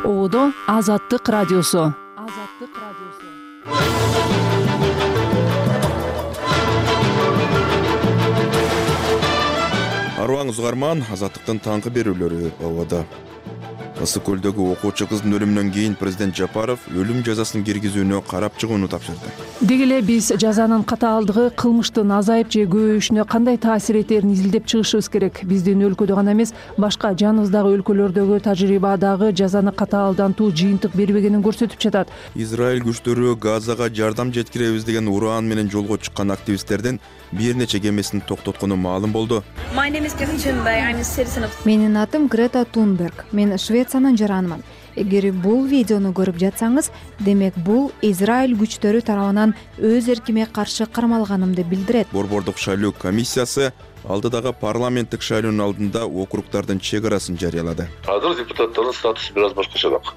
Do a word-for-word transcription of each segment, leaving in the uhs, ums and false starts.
Оодо Азаттык радиосу. Азаттык радиосу. Арваңыз угарман, Азаттыктын таңкы берүүлөрү ободо. Ысык көлдөгү окуучу кыздын өлүмүнөн кийин президент Жапаров өлүм жазасын киргизүүнү карап чыгууну тапшырды. Деги эле биз жазанын катаалдыгы кылмыштын азайып же көбөйүшүнө кандай таасир этерин изилдеп чыгышыбыз керек. Биздин өлкөдө гана эмес, башка жаныбыздагы өлкөлөрдөгү тажрыйба дагы жазаны катаалдантуу жыйынтык бербегенин көрсөтүп жатат. Израиль күчтөрү Газага жардам жеткиребиз деген ураан менен жолго чыккан активисттердин бир нече кемесин токтоткону маалым болду. Менин атым Грета Тунберг. Мен Швециянын жаранымын. Эгер бул видеону көрүп жатсаңыз, демек бул Израиль күчтөрү тарабынан өз эркиме каршы кармалганымды билдирет. Борбордук шайлоо комиссиясы алдыдагы парламенттик шайлоонун алдында округдардын чек арасын жарыялады. Азыр депутаттардын статусу бир аз башкачараак.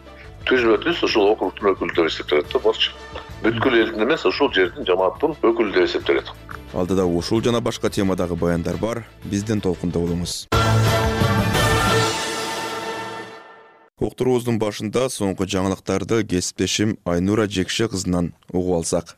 Түзбө түз ушул округдун өкүлдөрү эсептелет да, болчу. Бүткүл элдин эмес, ушул жердин жамааттын өкүлү деп эсептелет. Алдыда ушул жана башка темадагы баяндар бар. Бизден толкунда болуңуз. Уктуруубуздун башында соңку жаңылыктарды кесиптешим Айнура Жекше кызынан угуп алсак.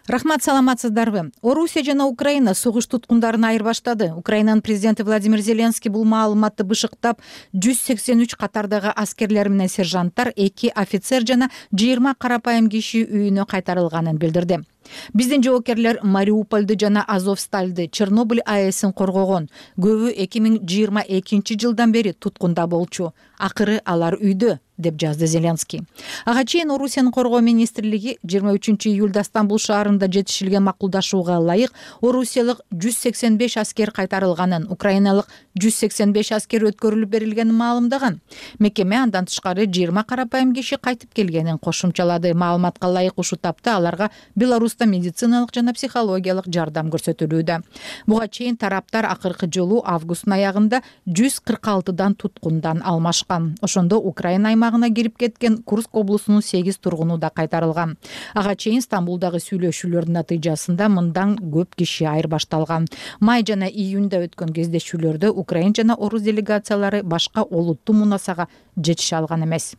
Рахмат, саламатсыздарбы? Орусия жана Украина согуш туткундарын айырбаштады. Украинанын президенти Владимир Зеленский бул маалыматты бышыктап, жүз сексен үч катардагы аскерлер менен сержанттар, эки офицер жана жыйырма карапайым киши үйүнө кайтарылганын билдирди. Биздин жоокерлер Мариупольду жана Азовстальды, Чернобыль АЭСин коргогон. Көбү эки миң жыйырма экинчи жылдан бери туткунда болчу. Акыры алар үйдө, деп жазды Зеленский. Ага чейин Орусиянын коргоо министрлиги жыйырма үчүнчү июлда Стамбул шаарында жетишилген макулдашууга ылайык орусиялык жүз сексен беш аскер кайтарылганын, украиналык жүз сексен беш аскер өткөрүлүп берилгенин маалымдаган. Мекеме андан тышкары жыйырма карапайым киши кайтып келгенин кошумчалады. Маалыматка ылайык ушул тапта аларга Беларуста медициналык жана психологиялык жардам көрсөтүлүүдө. Буга чейин тараптар акыркы жолу августтун аягында жүз кырк алтыдан туткундан алмашкан. Ошондо Украина аймагына кирип кеткен Курск облусунун сегиз тургуну да кайтарылган. Ага чейин Стамбулдагы сүйлөшүүлөрдүн натыйжасында мындан көп киши айырбашталган. Май жана июнда өткөн кездешүүлөрдө Украин жана Орус делегациялары башка олуттуу мунасага жетише алган эмес.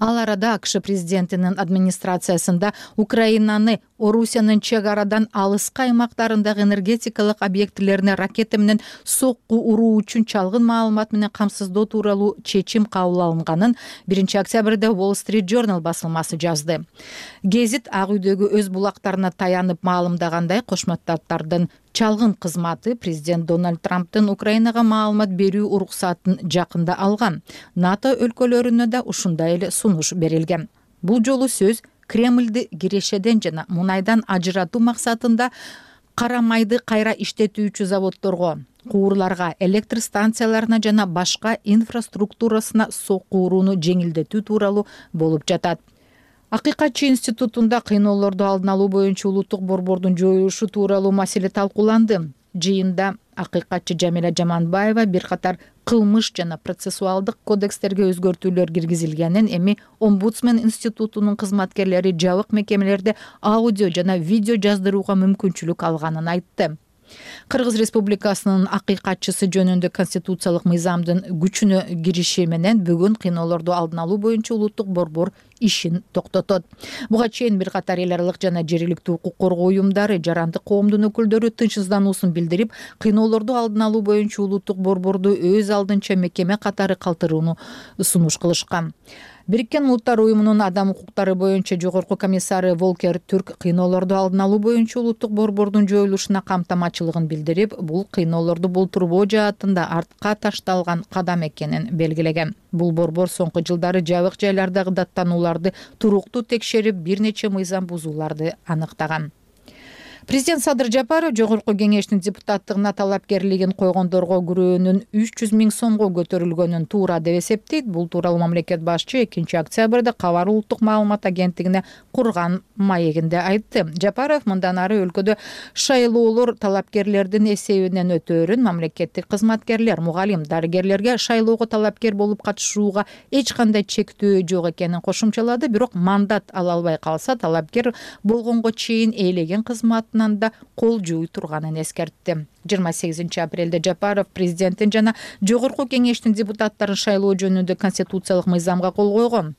Ал арада АКШ президентинин администрациясында Украинаны Орусиянын чек арадан алыскы аймактарындагы энергетикалык объектилерине ракета менен сокку уруу үчүн чалгын маалымат менен камсыздоо тууралуу чечим кабыл алынганын биринчи октябрда Wall Street Journal басылмасы жазды. Гезит Ак үйдөгү өз булактарына таянып маалымдагандай, Кошмо Штаттардын чалгын кызматы президент Дональд Трамптын Украинага маалымат берүү уруксатын жакында алган. НАТО өлкөлөрүнө да ушундай эле сунуш берилген. Бул жолу сөз Кремльди кирешеден жана мунайдан ажыратуу максатында кара майды кайра иштетүүчү заводдорго, куурларга, электр станцияларына жана башка инфраструктурасына сокку урууну жеңилдетүү тууралуу болуп жатат. Акыйкатчы институтунда кыйноолорду алдын алуу боюнча улуттук борбордун жоюлушу тууралуу маселе талкууланды. Жыйында акыйкатчы Жамиля Жаманбаева бир катар кылмыш жана процессуалдык кодекстерге өзгөртүүлөр киргизилгенин, эми Омбудсмен институтунун кызматкерлери жабык мекемелерде аудио жана видео жаздырууга мүмкүнчүлүк алганын айтты. Кыргыз Республикасынын акыйкатчысы жөнүндө конституциялык мыйзамдын күчүнө кириши менен бүгүн кыйноолорду алдын алуу боюнча улуттук борбор ишин токтотот. Буга чейин бир катар эл аралык жана жергиликтүү укук коргоо уюмдары, жарандык коомдун өкүлдөрү тынчсыздануусун билдирип, кыйноолорду алдын алуу боюнча улуттук борборду өз алдынча мекеме катары калтырууну сунуш кылышкан. Бириккен Улуттар уюмунун адам укуктары боюнча жогорку комиссары Волкер Түрк кыйноолорду алдын алуу боюнча улуттук борбордун жоюлушуна камтамачылыгын билдирип, бул кыйноолорду болтурбоо жаатында артка ташталган кадам экенин белгилеген. Бул борбор соңку жылдары жабык жайлардагы даттанууларды туруктуу текшерип, бир нече мыйзам бузууларды аныктаган. Президент Садыр Жапаров жогорку кеңештин депутаттыгына талапкерлигин койгондорго күрөөнүн үч жүз миң сомго көтөрүлгөнүн туура деп эсептейт. Бул тууралуу мамлекет башчы экинчи октябрда Кабар улуттук маалымат агенттигине курган маегинде айтты. Жапаров мындан ары өлкөдө шайлоолор талапкерлердин эсебинен өтөөрүн, мамлекеттик кызматкерлер, мугалим, дарыгерлерге шайлоого талапкер болуп катышууга эч кандай чектөө жок экенин кошумчалады. Бирок мандат ала албай калса, талапкер болгонго чейин ээлеген кызматын тарабынан да кол жууй турганын эскертти. жыйырма сегизинчи апрелде Жапаров президенттин жана жогорку кеңештин депутаттарын шайлоо жөнүндө конституциялык мыйзамга кол койгон.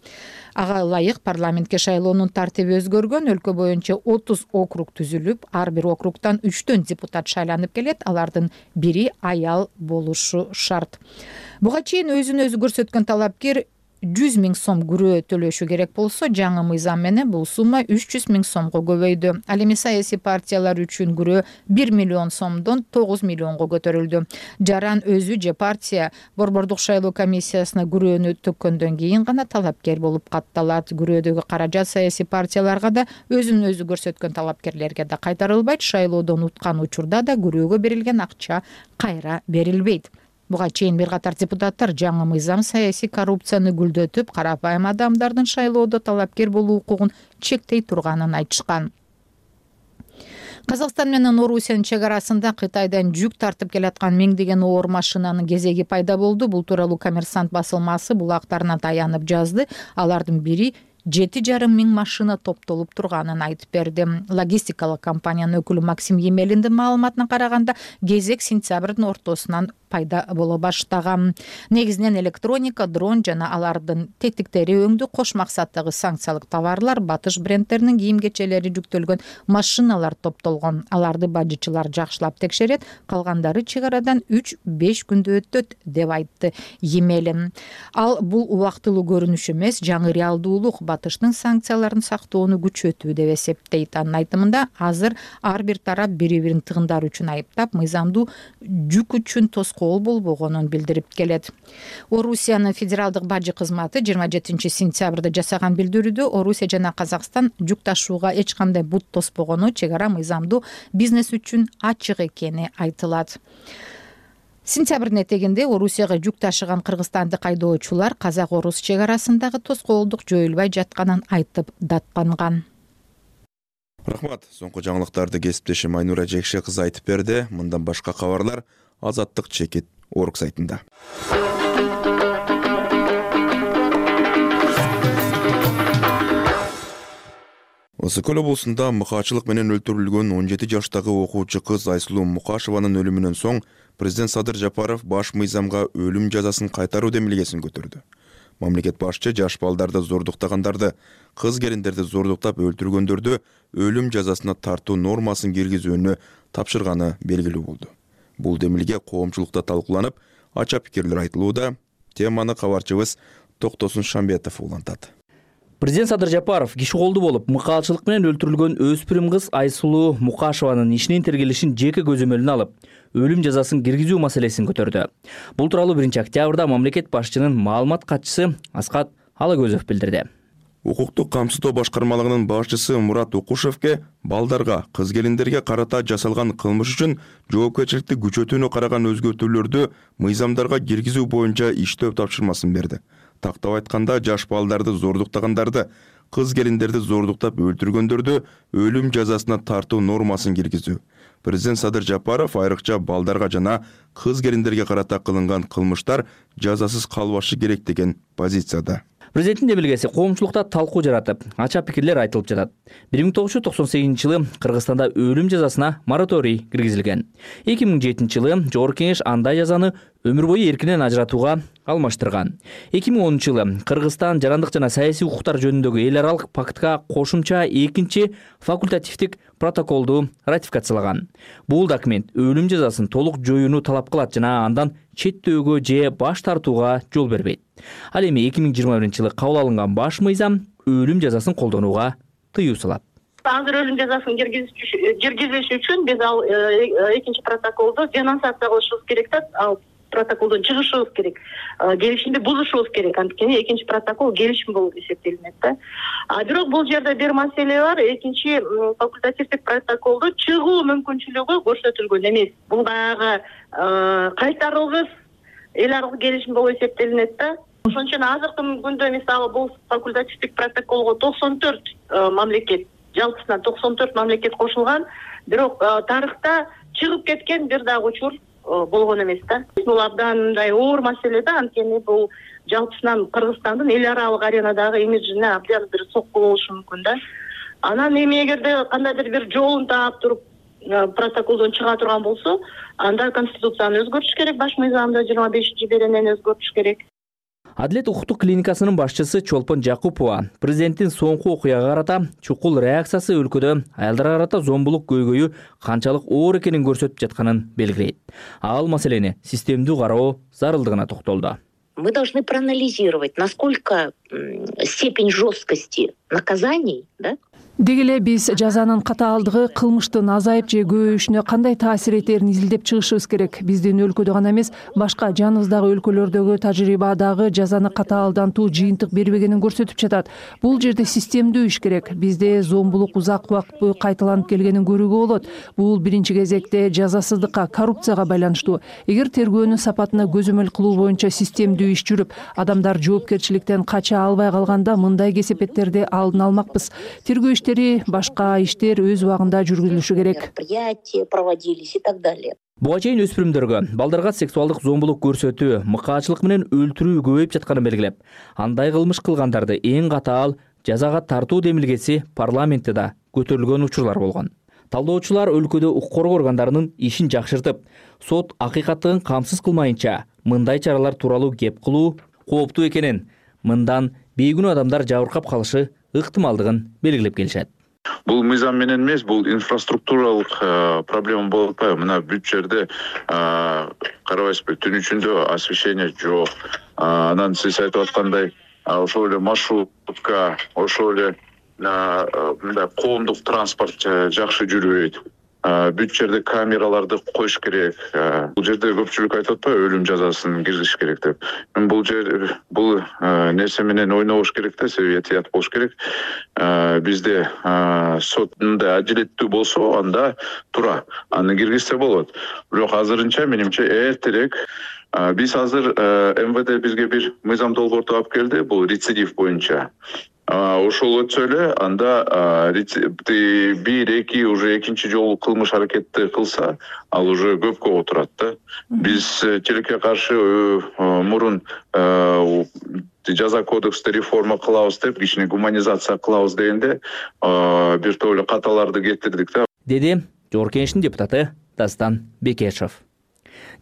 Ага ылайык парламентке шайлоонун тартиби өзгөргөн. Өлкө боюнча отуз округ түзүлүп, ар бир округтан үчтөн депутат шайланып келет. Алардын бири аял болушу шарт. Буга чейин өзүн өзү көрсөткөн талапкер жүз миң сом күрөө төлөшү керек болсо, жаңы мыйзам менен бул сумма үч жүз миң сомго көбөйдү. Ал эми саясий партиялар үчүн күрөө бир миллион сомдон тогуз миллионго көтөрүлдү. Жаран өзү же партия борбордук шайлоо комиссиясына күрөөнү төккөндөн кийин гана талапкер болуп катталат. Күрөөдөгү каражат саясий партияларга да, өзүн өзү көрсөткөн талапкерлерге да кайтарылбайт. Шайлоодон уткан учурда да күрөөгө берилген акча кайра берилбейт. Буга чейин бир катар депутаттар жаңы мыйзам саясий коррупцияны гүлдөтүп, карапайым адамдардын шайлоодо талапкер болуу укугун чектей турганын айтышкан. Казакстан менен Орусиянын чек арасында Кытайдан жүк тартып келаткан миңдеген оор машинанын кезеги пайда болду. Бул тууралуу Коммерсант басылмасы булактарына таянып жазды. Алардын бири жети жарым миң машина топтолуп турганын айтып берди. Логистикалык компаниянын өкүлү Максим Емелиндин маалыматына караганда, кезек сентябрдын ортосунан пайда боло баштаган. Негизинен электроника, дрон жана алардын тетиктери өңдүү кош максаттагы санкциялык товарлар, батыш брендтеринин кийим-кечелери жүктөлгөн машиналар топтолгон. Аларды бажычылар жакшылап текшерет, калгандары чек арадан үч беш күндө өтөт деп айтты Емелин. Ал бул убактылуу көрүнүш эмес, жаңы реалдуулук батыштын санкцияларын сактоону күчөтүү деп эсептейт. Анын айтымында, азыр ар бир тарап бири-бирин тыгындар үчүн айыптап, мыйзамдуу жүк үчүн тоскоол болбогонун билдирип келет. Орусиянын федералдык бажы кызматы жыйырма жетинчи сентябрда жасаган билдирүүдө Орусия жана Казакстан жүк ташууга эч кандай бут тоспогону, чек ара мыйзамдуу бизнес үчүн ачык экени айтылат. Сентябрдын этегинде Орусияга жүк ташыган кыргызстандык айдоочулар казак-орус чек арасындагы тоскоолдук жоюлбай жатканын айтып даттанган. Рахмат. Соңку жаңылыктарды кесиптешим Айнура Жекше кызы айтып берди. Мындан башка кабарлар Азаттык чекит орг сайтында. Ысык көл облусунда мыкаачылык менен өлтүрүлгөн он жети жаштагы окуучу кыз Айсулуу Мукашеванын өлүмүнөн соң президент Садыр Жапаров баш мыйзамга өлүм жазасын кайтаруу демилгесин көтөрдү. Мамлекет башчы жаш балдарды зордуктагандарды, кыз келиндерди зордуктап өлтүргөндөрдү өлүм жазасына тартуу нормасын киргизүүнү тапшырганы белгилүү болду. Бул демилге коомчулукта талкууланып, ача пикирлер айтылууда. Теманы кабарчыбыз Токтосун Шамбетов улантат. Президент Садыр Жапаров киши колду болуп, мыкаачылык менен өлтүрүлгөн өспүрүм кыз Айсулуу Мукашеванын ишинин тергелишин жеке көзөмөлүнө алып, өлүм жазасын киргизүү маселесин көтөрдү. Бул тууралуу биринчи октябрда мамлекет башчынын маалымат катчысы Аскат Алагөзов билдирди. Укуктук камсыздоо башкармалыгынын башчысы Мурат Укушевке балдарга, кыз келиндерге карата жасалган кылмыш үчүн жоопкерчиликти күчөтүүнү караган өзгөртүүлөрдү мыйзамдарга киргизүү боюнча иштөө тапшырмасын берди. Тактап айтканда, жаш балдарды зордуктагандарды, кыз келиндерди зордуктап өлтүргөндөрдү өлүм жазасына тартуу нормасын киргизүү. Президент Садыр Жапаров айрыкча балдарга жана кыз келиндерге карата кылынган кылмыштар жазасыз калбашы керек деген позицияда. Президенттин демилгеси коомчулукта талкуу жаратып, ача пикирлер айтылып жатат. бир миң тогуз жүз токсон сегизинчи жылы Кыргызстанда өлүм жазасына мораторий киргизилген. эки миң жетинчи жылы Жогорку Кеңеш андай жазаны өмүр бою эркинен ажыратууга алмаштырган. эки миң онунчу жылы Кыргызстан жарандык жана саясий укуктар жөнүндөгү эл аралык пактка кошумча экинчи факультативдик протоколду ратификациялаган. Бул документ өлүм жазасын толук жоюуну талап кылат жана андан четтөөгө же баш тартууга жол бербейт. Ал эми эки миң жыйырма биринчи жылы кабыл алынган баш мыйзам өлүм жазасын колдонууга тыюу салат. Азыр өлүм жазасын киргизиш үчүн биз ал экинчи протоколду денонсация кылышыбыз керек да, ал протоколдон чыгышыбыз керек. Келишимди бузушубуз керек. Анткени экинчи протокол келишим болуп эсептелинет да. А бирок бул жерде бир маселе бар. Экинчи факультативдик протоколду чыгуу мүмкүнчүлүгү көрсөтүлгөн эмес. Бул дагы кайтарылгыс эл аралык келишим болуп эсептелинет да. Ошон үчүн азыркы күндө мисалы бул факультативдик протоколго токсон төрт мамлекет, жалпысынан токсон төрт мамлекет кошулган, бирок тарыхта чыгып кеткен бир дагы учур болгон эмес да. Бул абдан мындай оор маселе да, анткени бул жалпысынан Кыргызстандын эл аралык аренадагы имиджине абдан бир сокку болушу мүмкүн да. Анан эми эгерде кандайдыр бир жолун таап туруп протоколдон чыга турган болсо, анда конституцияны өзгөртүш керек, баш мыйзамды жыйырма бешинчи беренени өзгөртүш керек. Адилет укуктук клиникасынын башчысы Чолпон Жакупова президенттин соңку окуяга карата чукул реакциясы өлкөдө аялдарга карата зомбулук көйгөйү канчалык оор экенин көрсөтүп жатканын белгилейт. Ал маселени системдүү кароо зарылдыгына токтолду. Мы должны проанализировать, насколько степень жесткости наказаний, да, Деги эле биз жазанын катаалдыгы кылмыштын азайып же көбөйүшүнө кандай таасир этерин изилдеп чыгышыбыз керек. Биздин өлкөдө гана эмес, башка жаныбыздагы өлкөлөрдөгү тажрыйба дагы жазаны катаалдантуу жыйынтык бербегенин көрсөтүп жатат. Бул жерде системдүү иш керек. Бизде зомбулук узак убакыт бою кайталанып келгенин көрүүгө болот. Бул биринчи кезекте жазасыздыкка, коррупцияга байланыштуу. Эгер тергөөнүн сапатына көзөмөл кылуу боюнча системдүү иш жүрүп, адамдар жоопкерчиликтен кача албай калганда мындай кесепеттерди алдын алмакпыз. Тергөө башка иштер өз убагында жүргүзүлүшү керек. Проводились и так далее. Буга чейин өспүрүмдөргө балдарга сексуалдык зомбулук көрсөтүү, мыкаачылык менен өлтүрүү көбөйүп жатканын белгилеп, андай кылмыш кылгандарды эң катаал жазага тартуу демилгеси парламентте да көтөрүлгөн учурлар болгон. Талдоочулар өлкөдө укук коргоо органдарынын ишин жакшыртып, сот акыйкаттыгын камсыз кылмайынча мындай чаралар тууралуу кеп кылуу кооптуу экенин, мындан бейгүнөө адамдар жабыркап калышы ыктымалдыгын белгилеп келишет. Бул мыйзам менен эмес, бул инфраструктуралык проблема болуп атпайбы? Мына бүт жерде карабайсызбы, түн ичинде освещение жок. Анан сиз айтып аткандай, ошол эле маршрутка, ошол эле мындай коомдук транспорт жакшы жүрбөйт. Бүт жерде камераларды коюш керек. Бул жерде көпчүлүк айтып атпайбы, өлүм жазасын киргизиш керек деп. Мен бул жер бул нерсе менен ойнобош керек да, себеби этият болуш керек. Бизде сот мындай адилеттүү болсо, анда туура аны киргизсе болот. Бирок азырынча менимче эртерээк биз азыр эм вэ дэ бизге бир мыйзам долбоорту алып келди, бул рецидив боюнча. Ошол өтсө эле, анда бир, эки, уже экинчи жолу кылмыш аракетти кылса, ал уже көпкө отурат да. Биз тилекке каршы мурун жаза кодексти реформа кылабыз деп, кичине гуманизация кылабыз дегенде, бир топ эле каталарды кетирдик да. Деди Жогорку Кеңештин депутаты Дастан Бекешев.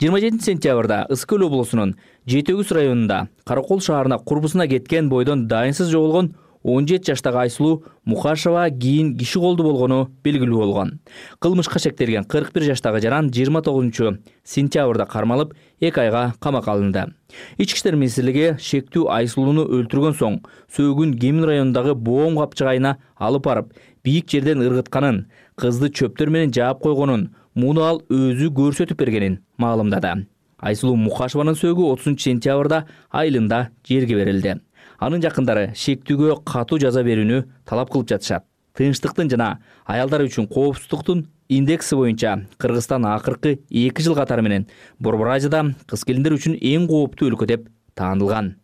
жыйырма жетинчи сентябрда Ысык Көл облусунун Жети Өгүз районунда Каракол шаарына курбусуна кеткен бойдон дайынсыз жоголгон он жети жаштагы Айсулуу Мукашева кийин киши колду болгону белгилүү болгон. Кылмышка шектелген кырк бир жаштагы жаран жыйырма тогузунчу сентябрда кармалып, эки айга камакка алынды. Ички иштер министрлиги шектүү Айсулууну өлтүргөн соң сөөгүн Кемин районундагы боом капчыгайына алып барып, бийик жерден ыргытканын, кызды чөптөр менен жаап койгонун, муну ал өзү көрсөтүп бергенин маалымдады. Айсулуу Мукашеванын сөөгү отузунчу сентябрда айылында жерге берилди. Анын жакындары шектүүгө катуу жаза берүүнү талап кылып жатышат. Тынчтыктын жана аялдар үчүн коопсуздуктун индекси боюнча Кыргызстан акыркы эки жыл катары менен Борбор Азияда кыз келиндер үчүн эң кооптуу өлкө деп таанылган.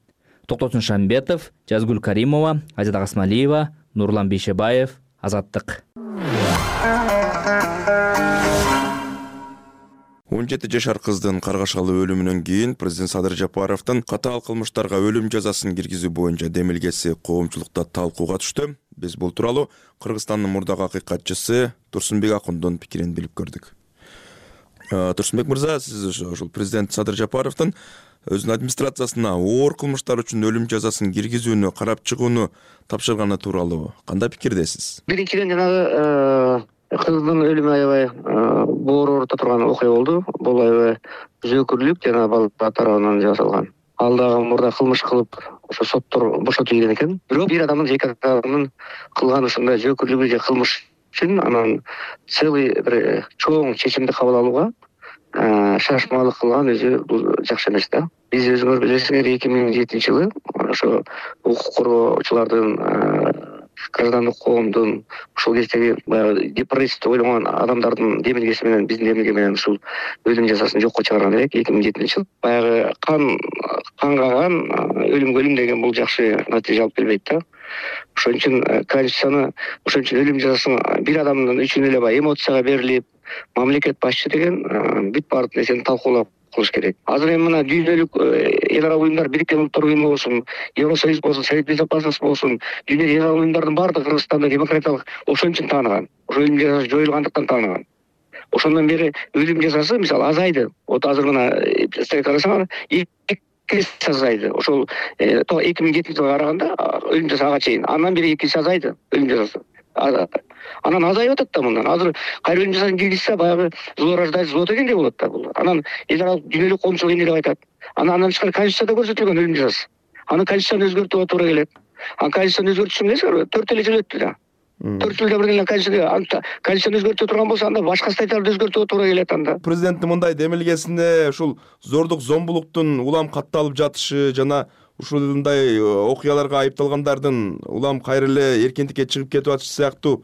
Токтосун Шамбетов, Жазгүл Каримова, Азида Касмалиева, Нурлан Бейшебаев, Азаттык. он жети жашар кыздын каргашалы өлүмүнөн кийин президент Садыр Жапаровдун катаал кылмыштарга өлүм жазасын киргизүү боюнча демилгеси коомчулукта талкууга түштү. Биз бул тууралуу Кыргызстандын мурдагы акыйкатчысы Турсунбек Акундун пикирин билип көрдүк. Турсунбек мырза, сиз ошол президент Садыр Жапаровдун өзүнүн администрациясына оор кылмыштар үчүн өлүм жазасын киргизүүнү карап чыгууну тапшырганы тууралуу кандай пикирдесиз? Биринчиден жанагы кыздын өлүмү аябай боор оорута турган окуя болду. Бул аябай зөөкүрлүк жана балдар тарабынан жасалган. Ал дагы мурда кылмыш кылып, ошо соттор бошотулган экен. Бирок бир адамдын эки адамдын кылган ушундай зөөкүрлүгү же кылмыш үчүн анан целый бир чоң чечимди кабыл алууга шашмалык кылган өзү бул жакшы эмес да. Биз өзүңөр билесиңер, эки миң жетинчи жылы ошо укук коргоочулардын, граждандык коомдун, ушул кездеги баягы депрессия ойлогон адамдардын демилгеси менен, биздин демилге менен ушул өлүм жазасын жокко чыгарган элек эки миң жетинчи жыл. Баягы кан кангаган өлүмгө өлүм деген бул жакшы натыйжа алып келбейт да. Ошон үчүн конституцияны, ошон үчүн өлүм жазасын бир адамдын үчүн эле баягы эмоцияга берилип, мамлекет башчы деген бүт баардык нерсени талкуулап кылыш керек. Азыр эми мына дүйнөлүк эл аралык уюмдар, Бириккен Улуттар уюму болсун, Евросоюз болсун, Совет Безопасности болсун, дүйнөлүк эл аралык уюмдардын баардыгы Кыргызстанды демократиялык ошон үчүн тааныган. Ошо өлүм жазасы жоюлгандыктан тааныган. Ошондон бери өлүм жазасы мисалы азайды. Вот азыр гана карасаңар эки эсе азайды. Ошол эки миң жетинчи жылга караганда өлүм жазасы ага чейин. Андан бери эки эсе азайды өлүм жазасы. Анан азайып атат да мындан. Азыр кайра өлүм жазасын киргизсе баягы злораждать зло дегендей болот да бул. Анан эл аралык дүйнөлүк коомчулук эмне деп айтат? Анан андан тышкары конституцияда көрсөтүлгөн өлүм жазасы. Аны конституцияны өзгөртүүгө туура келет. Анан конституцияны өзгөртүш эмнеси? төрт эле жыл өттү да. төрт жылда бир эле конституция конституцияны өзгөртө турган болсо анда башка статьяларды өзгөртүүгө туура келет анда. Президенттин мындай демилгесине ушул зордук зомбулуктун улам катталып жатышы жана ушундай окуяларга айыпталгандардын улам кайра эле эркиндикке чыгып кетип атышы сыяктуу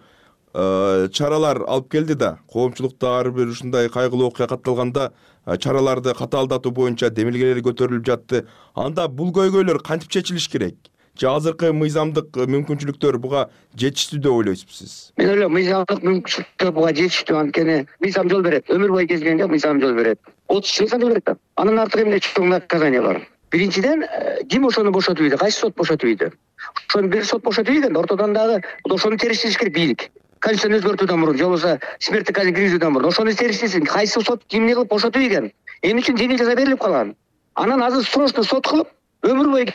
чаралар алып келди да. Коомчулукта ар бир ушундай кайгылуу окуя катталганда чараларды катаалдатуу боюнча демилгелер көтөрүлүп жатты. Анда бул көйгөйлөр кантип чечилиш керек? Же азыркы мыйзамдык мүмкүнчүлүктөр буга жетиштүү деп ойлойсузбу сиз? Мен ойлойм, мыйзамдык мүмкүнчүлүктөр буга жетиштүү, анткени мыйзам жол берет. Өмүр бою кезгенге мыйзам жол берет. отуз жыл жол берет да. Анын артыгы эмне чоң наказание бар. Биринчиден, ким ошону бошотуп ийди? Кайсы сот бошотуп ийди? Ошону бир сот бошотуп ийген, ортодон дагы ошону териштириш керек бийлик. Конституцияны өзгөртүүдөн мурун, же болбосо смерттик каза киргизүүдөн мурун ошону териштирсин. Кайсы сот кимди кылып бошотуп ийген? Эмне үчүн жеңил жаза берилип калган? Анан азыр срочно сот кылып өмүр бою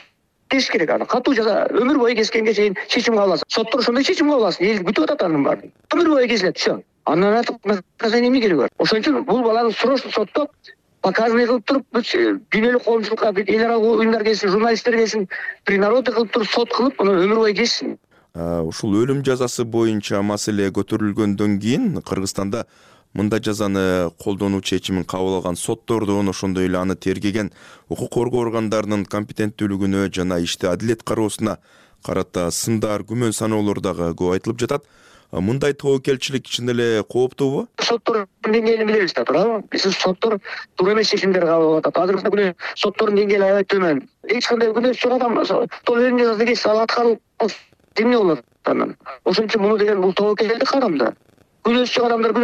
кесиш керек аны. Катуу жаза өмүр бою кескенге чейин чечим кабыл алсын. Соттор ошондой чечим кабыл алсын. Эл күтүп атат анын баарын. Өмүр бою кесилет, всё. Андан артык наказание эмне кереги бар? Ошон үчүн бул баланы срочно соттоп показанный кылып туруп, дүйнөлүк коомчулукка, эл аралык уюмдар келсин, журналисттер келсин, принародный кылып туруп сот кылып, муну өмүр бою кесsin. Ушул өлүм жазасы боюнча маселе көтөрүлгөндөн кийин Кыргызстанда мындай жазаны колдонуу чечимин кабыл алган соттордун, ошондой эле аны тергеген укук коргоо органдарынын компетенттүүлүгүнө жана ишти адилет кароосуна карата сындар, күмөн саноолор дагы көп айтылып жатат. Мындай тобокелчилик чын эле кооптуубу? Соттордун деңгээлин билебиз да, туурабы? Биз соттор туура эмес чечимдер кабыл алып атат. Азыркы күнү соттордун деңгээли аябай төмөн. Эч кандай күнөөсү жок адам сол өлүм жазасы кесип ал аткарылып эмне болот анан? Ошон үчүн муну деген бул тобокелдик кадам да. Күнөөсү жок адамдар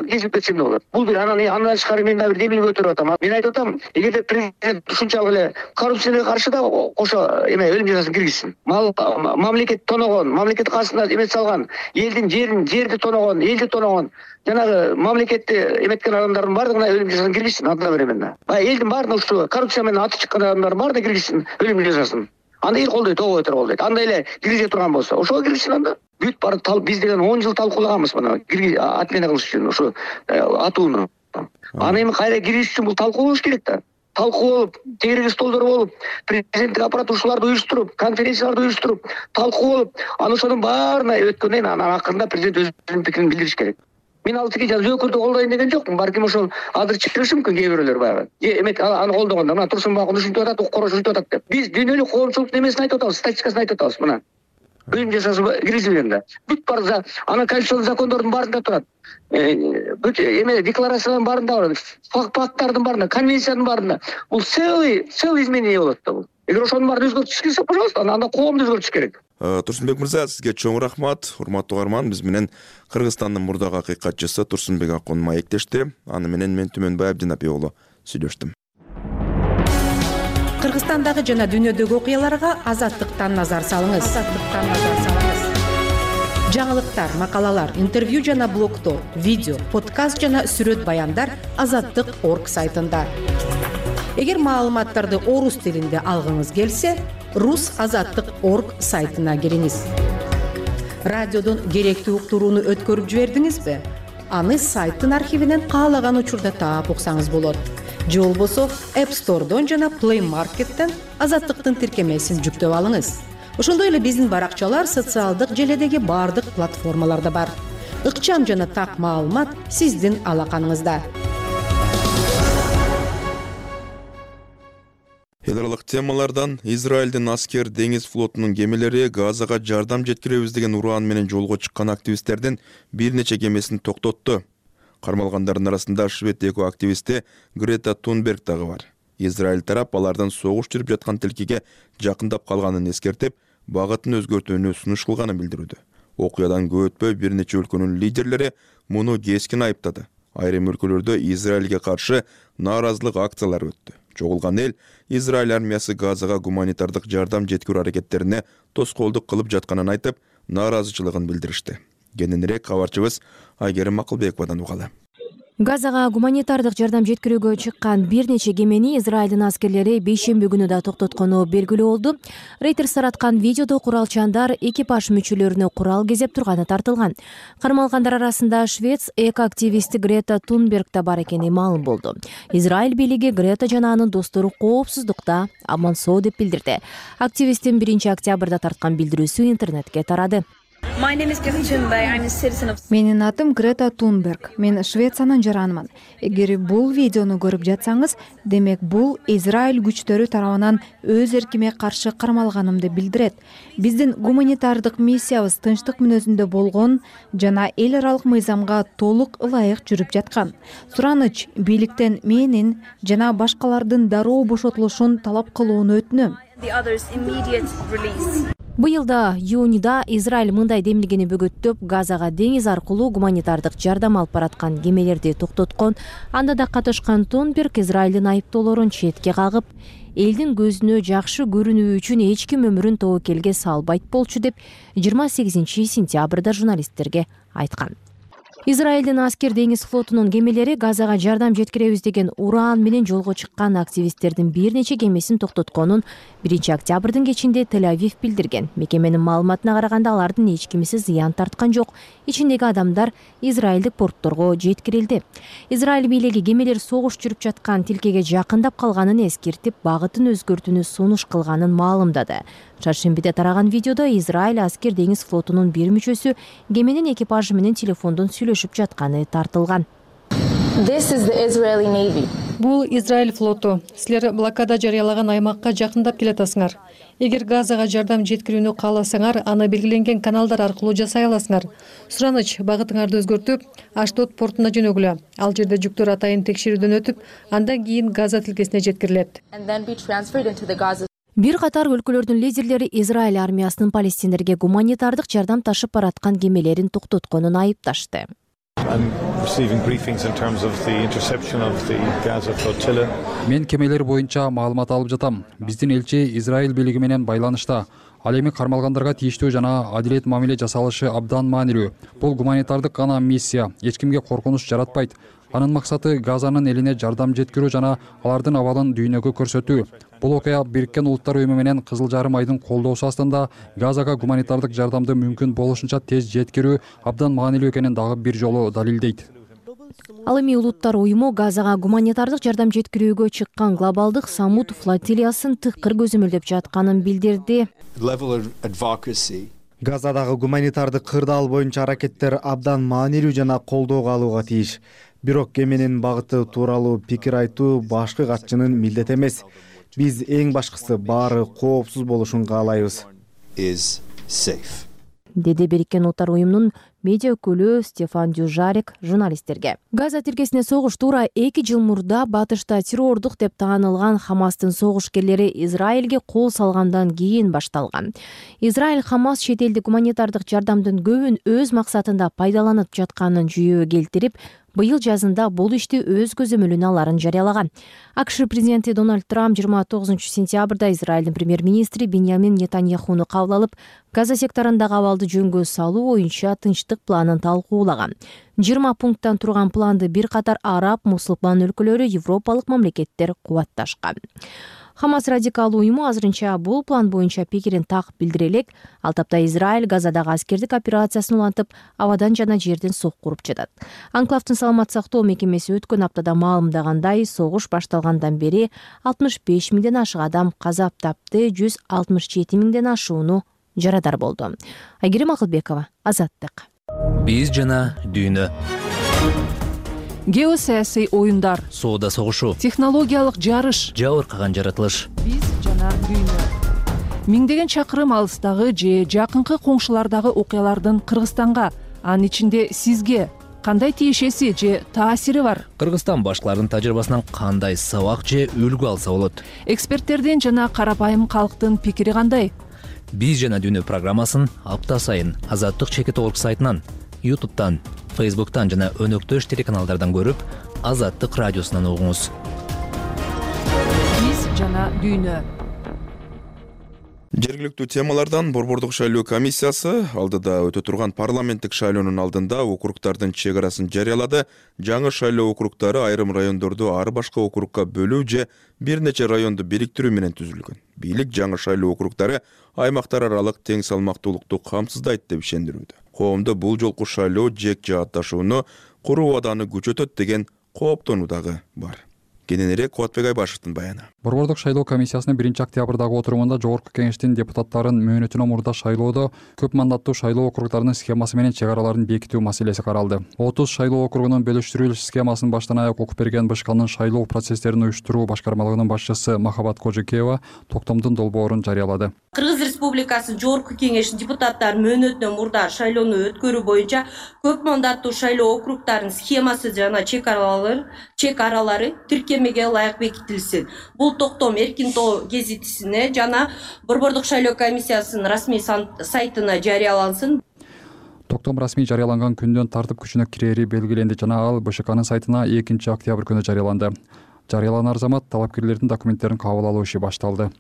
кесилип кетсе эмне болот? Бул бир анан андан тышкары мен дагы бир демилге көтөрүп атам. Мен айтып атам, эгерде президент ушунчалык эле коррупцияга каршы да кошо эме өлүм жазасын киргизсин. Мал мамлекет тоногон, мамлекет кассасына эме салган, элдин жерин, жерди тоногон, элди тоногон, жанагы мамлекетти эметкен адамдардын баардыгына өлүм жазасын киргизсин, анда берем мен. Баягы элдин баарына ушу коррупция менен аты чыккан адамдардын баарына киргизсин өлүм жазасын. Анда эл колдойт, ого өтөр колдойт. Андай эле киргизе турган болсо, ошого киргизсин анда. Бүт бар биз деген он жыл талкуулаганбыз мына отмена кылыш үчүн ушу атууну. Аны эми кайра киргизиш үчүн бул талкуу болуш керек да. Талкуу болуп, тегереги столдор болуп, президенттик аппарат ушуларды уюштуруп, конференцияларды уюштуруп, талкуу болуп, анан ошонун баарына өткөндөн кийин анан акырында президент өзүнүн пикирин билдириш керек. Мен ал тиги жөөкөрдү колдойн деген жокмун. Балким ошол азыр чыгышы мүмкүн кээ бирөөлөр баягы. Эмек аны колдогондо мына Турсунбай ушинтип атат, укук коргоочу ушинтип атат деп. Биз дүйнөлүк коомчулуктун эмесин айтып атабыз, статистикасын айтып атабыз мына. Өлүм жазасы киргизилген да. Бүт бар за анан конституциялык закондордун баарында турат. Бүт эме декларациялардын баарында бар. Факттардын баарында, конвенциянын баарында. Бул целый целый изменение болот да бул. Эгер ошонун баарын өзгөртүш келсе, пожалуйста, анда коомду өзгөртүш керек. Турсунбек мырза, сизге чоң рахмат. Урматтуу угарман, биз менен Кыргызстандын мурдагы акыйкатчысы Турсунбек Акун маектешти. Аны менен мен Түмөнбай Абдинапи уулу сүйлөштүм. Кыргызстандагы жана дүйнөдөгү окуяларга Азаттыктан назар салыңыз. Азаттыктан назар салыңыз. Жаңылыктар, макалалар, интервью жана блогтор, видео, подкаст жана сүрөт баяндар азаттык точка орг сайтында. Эгер маалыматтарды орус тилинде алгыңыз келсе, рус азаттык точка орг сайтына кириңиз. Радиодон керектүү уктурууну өткөрүп жибердиңизби? Аны сайттын архивинен каалаган учурда таап уксаңыз болот. Же болбосо App Store'дон жана Play Market'тен азаттыктын тиркемесин жүктөп алыңыз. Ошондой эле биздин баракчалар социалдык желедеги баардык платформаларда бар. Ыкчам жана так маалымат сиздин алаканыңызда. Эл аралык темалардан Израилдин аскер деңиз флотунун кемелери Газага жардам жеткиребиз деген ураан менен жолго чыккан активисттердин бир нече кемесин токтотту. Кармалгандардын арасында швед эко-активисти Грета Тунберг дагы бар. Израиль тарап алардын согуш жүрүп жаткан тилкеге жакындап калганын эскертип, багытын өзгөртүүнү сунуш кылганын билдирүүдө. Окуядан көп өтпөй бир нече өлкөнүн лидерлери муну кескин айыптады. Айрым өлкөлөрдө Израилге каршы нааразылык акциялары өттү. Чогулган эл Израиль армиясы Газага гуманитардык жардам жеткирүү аракеттерине тоскоолдук кылып жатканын айтып, нааразычылыгын билдиришти. Кененирээк кабарчыбыз Айгерим Макулбековадан угалы. Газага гуманитардык жардам жеткирүүгө чыккан бир нече кемени Израилдин аскерлери бейшемби күнү да токтоткону белгилүү болду. Reuters тараткан видеодо куралчандар экипаж мүчөлөрүнө курал кезеп турганы тартылган. Кармалгандар арасында Швец эко-активисти Грета Тунберг да бар экени маалым болду. Израиль бийлиги Грета жана анын достору коопсуздукта аман-соо деп билдирди. Активисттин биринчи октябрда тарткан билдирүүсү интернетке тарады. Менин атым Грета Тунберг. Мен Швециянын жаранымын. Эгер бул видеону көрүп жатсаңыз, демек бул Израиль күчтөрү тарабынан өз эркиме каршы кармалганымды билдирет. Биздин гуманитардык миссиябыз тынчтык мүнөзүндө болгон жана эл аралык мыйзамга толук ылайык жүрүп жаткан. Сураныч бийликтен менин жана башкалардын дароо бошотулушун талап кылууну өтүнөм. Быйылда июнда Израиль мындай демилгени бөгөттөп, Газага деңиз аркылуу гуманитардык жардам алып бараткан кемелерди токтоткон. Анда да катышкан Тунберг Израилдин айыптоолорун четке кагып, элдин көзүнө жакшы көрүнүү үчүн эч ким өмүрүн тобокелге салбайт болчу деп жыйырма сегизинчи сентябрда журналисттерге айткан. Израилдин аскер деңиз флотунун кемелери Газага жардам жеткиребиз деген уран менен жолго чыккан активисттердин бир нече кемесин токтотконун биринчи октябрдын кечинде Тель-Авив билдирген. Мекеменин маалыматына караганда алардын эч кимиси зыян тарткан жок. Ичиндеги адамдар израилдик портторго жеткирилди. Израиль бийлиги кемелер согуш жүрүп жаткан тилкеге жакындап калганын эскертип, багытын өзгөртүүнү сунуш кылганын маалымдады. Чаршембиде тараган видеодо Израиль аскер деңиз флотунун бир мүчөсү кеменин экипажы менен телефондон сүйлөшүп жатканы тартылган. Бул Израиль флоту. Силер блокада жарыялаган аймакка жакындап келатасыңар. Эгер Газага жардам жеткирүүнү кааласаңар, аны белгиленген каналдар аркылуу жасай аласыңар. Сураныч багытыңарды өзгөртүп, Аштот портуна жөнөгүлө. Ал жерде жүктөр атайын текшерүүдөн өтүп, андан кийин Газа тилкесине жеткирилет. Бир катар өлкөлөрдүн лидерлери Израиль армиясынын палестиндерге гуманитардык жардам ташып бараткан кемелерин токтотконун айыпташты. Мен кемелер боюнча маалымат алып жатам. Биздин элчи Израиль бийлиги менен байланышта. Ал эми кармалгандарга тийиштүү жана адилет мамиле жасалышы абдан маанилүү. Бул гуманитардык гана миссия, эч кимге коркунуч жаратпайт. Анын максаты Газанын элине жардам жеткирүү жана алардын абалын дүйнөгө көрсөтүү. Бул окуя Бириккен Улуттар Уюму менен Кызыл Жарым айдын колдоосу астында Газага гуманитардык жардамды мүмкүн болушунча тез жеткирүү абдан маанилүү экенин дагы бир жолу далилдейт. Ал эми Улуттар Уюму Газага гуманитардык жардам жеткирүүгө чыккан глобалдык Самут флотилиясын тыкыр көзөмөлдөп жатканын билдирди. Газадагы гуманитардык кырдаал боюнча аракеттер абдан маанилүү жана колдоого алууга тийиш. Бирок кеменин багыты тууралуу пикир айтуу башкы катчынын милдети эмес. Биз эң башкысы баары коопсуз болушун каалайбыз. Деди Бириккен Улуттар Уюмунун медиа өкүлү Стефан Дюжарик журналисттерге. Газа тилкесине согуш туура эки жыл мурда батышта террордук деп таанылган Хамастын согушкерлери Израилге кол салгандан кийин башталган. Израиль Хамас чет элдик гуманитардык жардамдын көбүн өз максатында пайдаланып жатканын жүйөгө келтирип, быйыл жазында бул ишти өз көзөмөлүнө аларын жарыялаган. АКШ президенти Дональд Трамп жыйырма тогузунчу сентябрда Израилдин премьер-министри Биньямин Нетаньяхуну кабыл алып, Газа секторундагы абалды жөнгө салуу боюнча тынчтык планын талкуулаган. жыйырма пункттан турган планды бир катар араб, мусулман өлкөлөрү, европалык мамлекеттер кубатташкан. Хамас радикалдуу уюму азырынча бул план боюнча пикирин так билдире элек. Ал тапта Израиль Газадагы аскердик операциясын улантып, абадан жана жерден сок куруп жатат. Анклавдын саламат сактоо мекемеси өткөн аптада маалымдагандай, согуш башталгандан бери алтымыш беш миңден ашык адам каза тапты, жүз алтымыш жети миңден ашууну жарадар болду. Айгерим Акылбекова, Азаттык. Биз жана дүйнө. Геосаясий оюндар, соода согушу, технологиялык жарыш, жабыркаган жаратылыш. Биз жана дүйнө. Миңдеген чакырым алыстагы же жакынкы коңшулардагы окуялардын Кыргызстанга, анын ичинде сизге кандай тиешеси же таасири бар? Кыргызстан башкалардын тажрыйбасынан кандай сабак же үлгү алса болот? Эксперттердин жана карапайым калктын пикири кандай? Биз жана дүйнө программасын апта сайын Азаттык чекит орг сайтынан, ютубтан, фейсбуктан жана өнөктөш телеканалдардан көрүп, Азаттык радиосунан угуңуз. Биз жана дүйнө. Жергиликтүү темалардан Борбордук шайлоо комиссиясы алдыда өтө турган парламенттик шайлоонун алдында округдардын чек арасын жарыялады. Жаңы шайлоо округдары айрым райондорду ар башка округга бөлүү же бир нече районду бириктирүү менен түзүлгөн. Бийлик жаңы шайлоо округдары аймактар аралык тең салмактуулукту камсыздайт деп ишендирүүдө. Коомдо бул жолку шайлоо жек жаатташууну куруу абаданы күчөтөт деген кооптонуу дагы бар. Кененирээк Кубатбек Айбашевдин баяны. Борбордук шайлоо комиссиясынын биринчи октябрдагы отурумунда Жогорку кеңештин депутаттарын мөөнөтүнөн мурда шайлоодо көп мандаттуу шайлоо округдарынын схемасы менен чек араларын бекитүү маселеси каралды. отуз шайлоо округунун бөлүштүрүлүш схемасын баштан аяк окуп берген БШКнын шайлоо процесстерин уюштуруу башкармалыгынын башчысы Махабат Кожекеева токтомдун долбоорун жарыялады. Кыргыз Республикасы Жогорку кеңешинин депутаттары мөөнөтүнөн мурда шайлоону өткөрүү боюнча көп мандаттуу шайлоо округдарынын схемасы жана чек аралары чек аралары тиркемеге ылайык бекитилсин. Бул токтом Эркин тоо гезитисине жана Борбордук шайлоо комиссиясынын расмий сайтына жарыялансын. Токтом расмий жарыяланган күндөн тартып күчүнө кирери белгиленди жана ал БШКнын сайтына экинчи октябрь күнү жарыяланды. Жарыяланар замат талапкерлердин документтерин кабыл алуу иши башталды.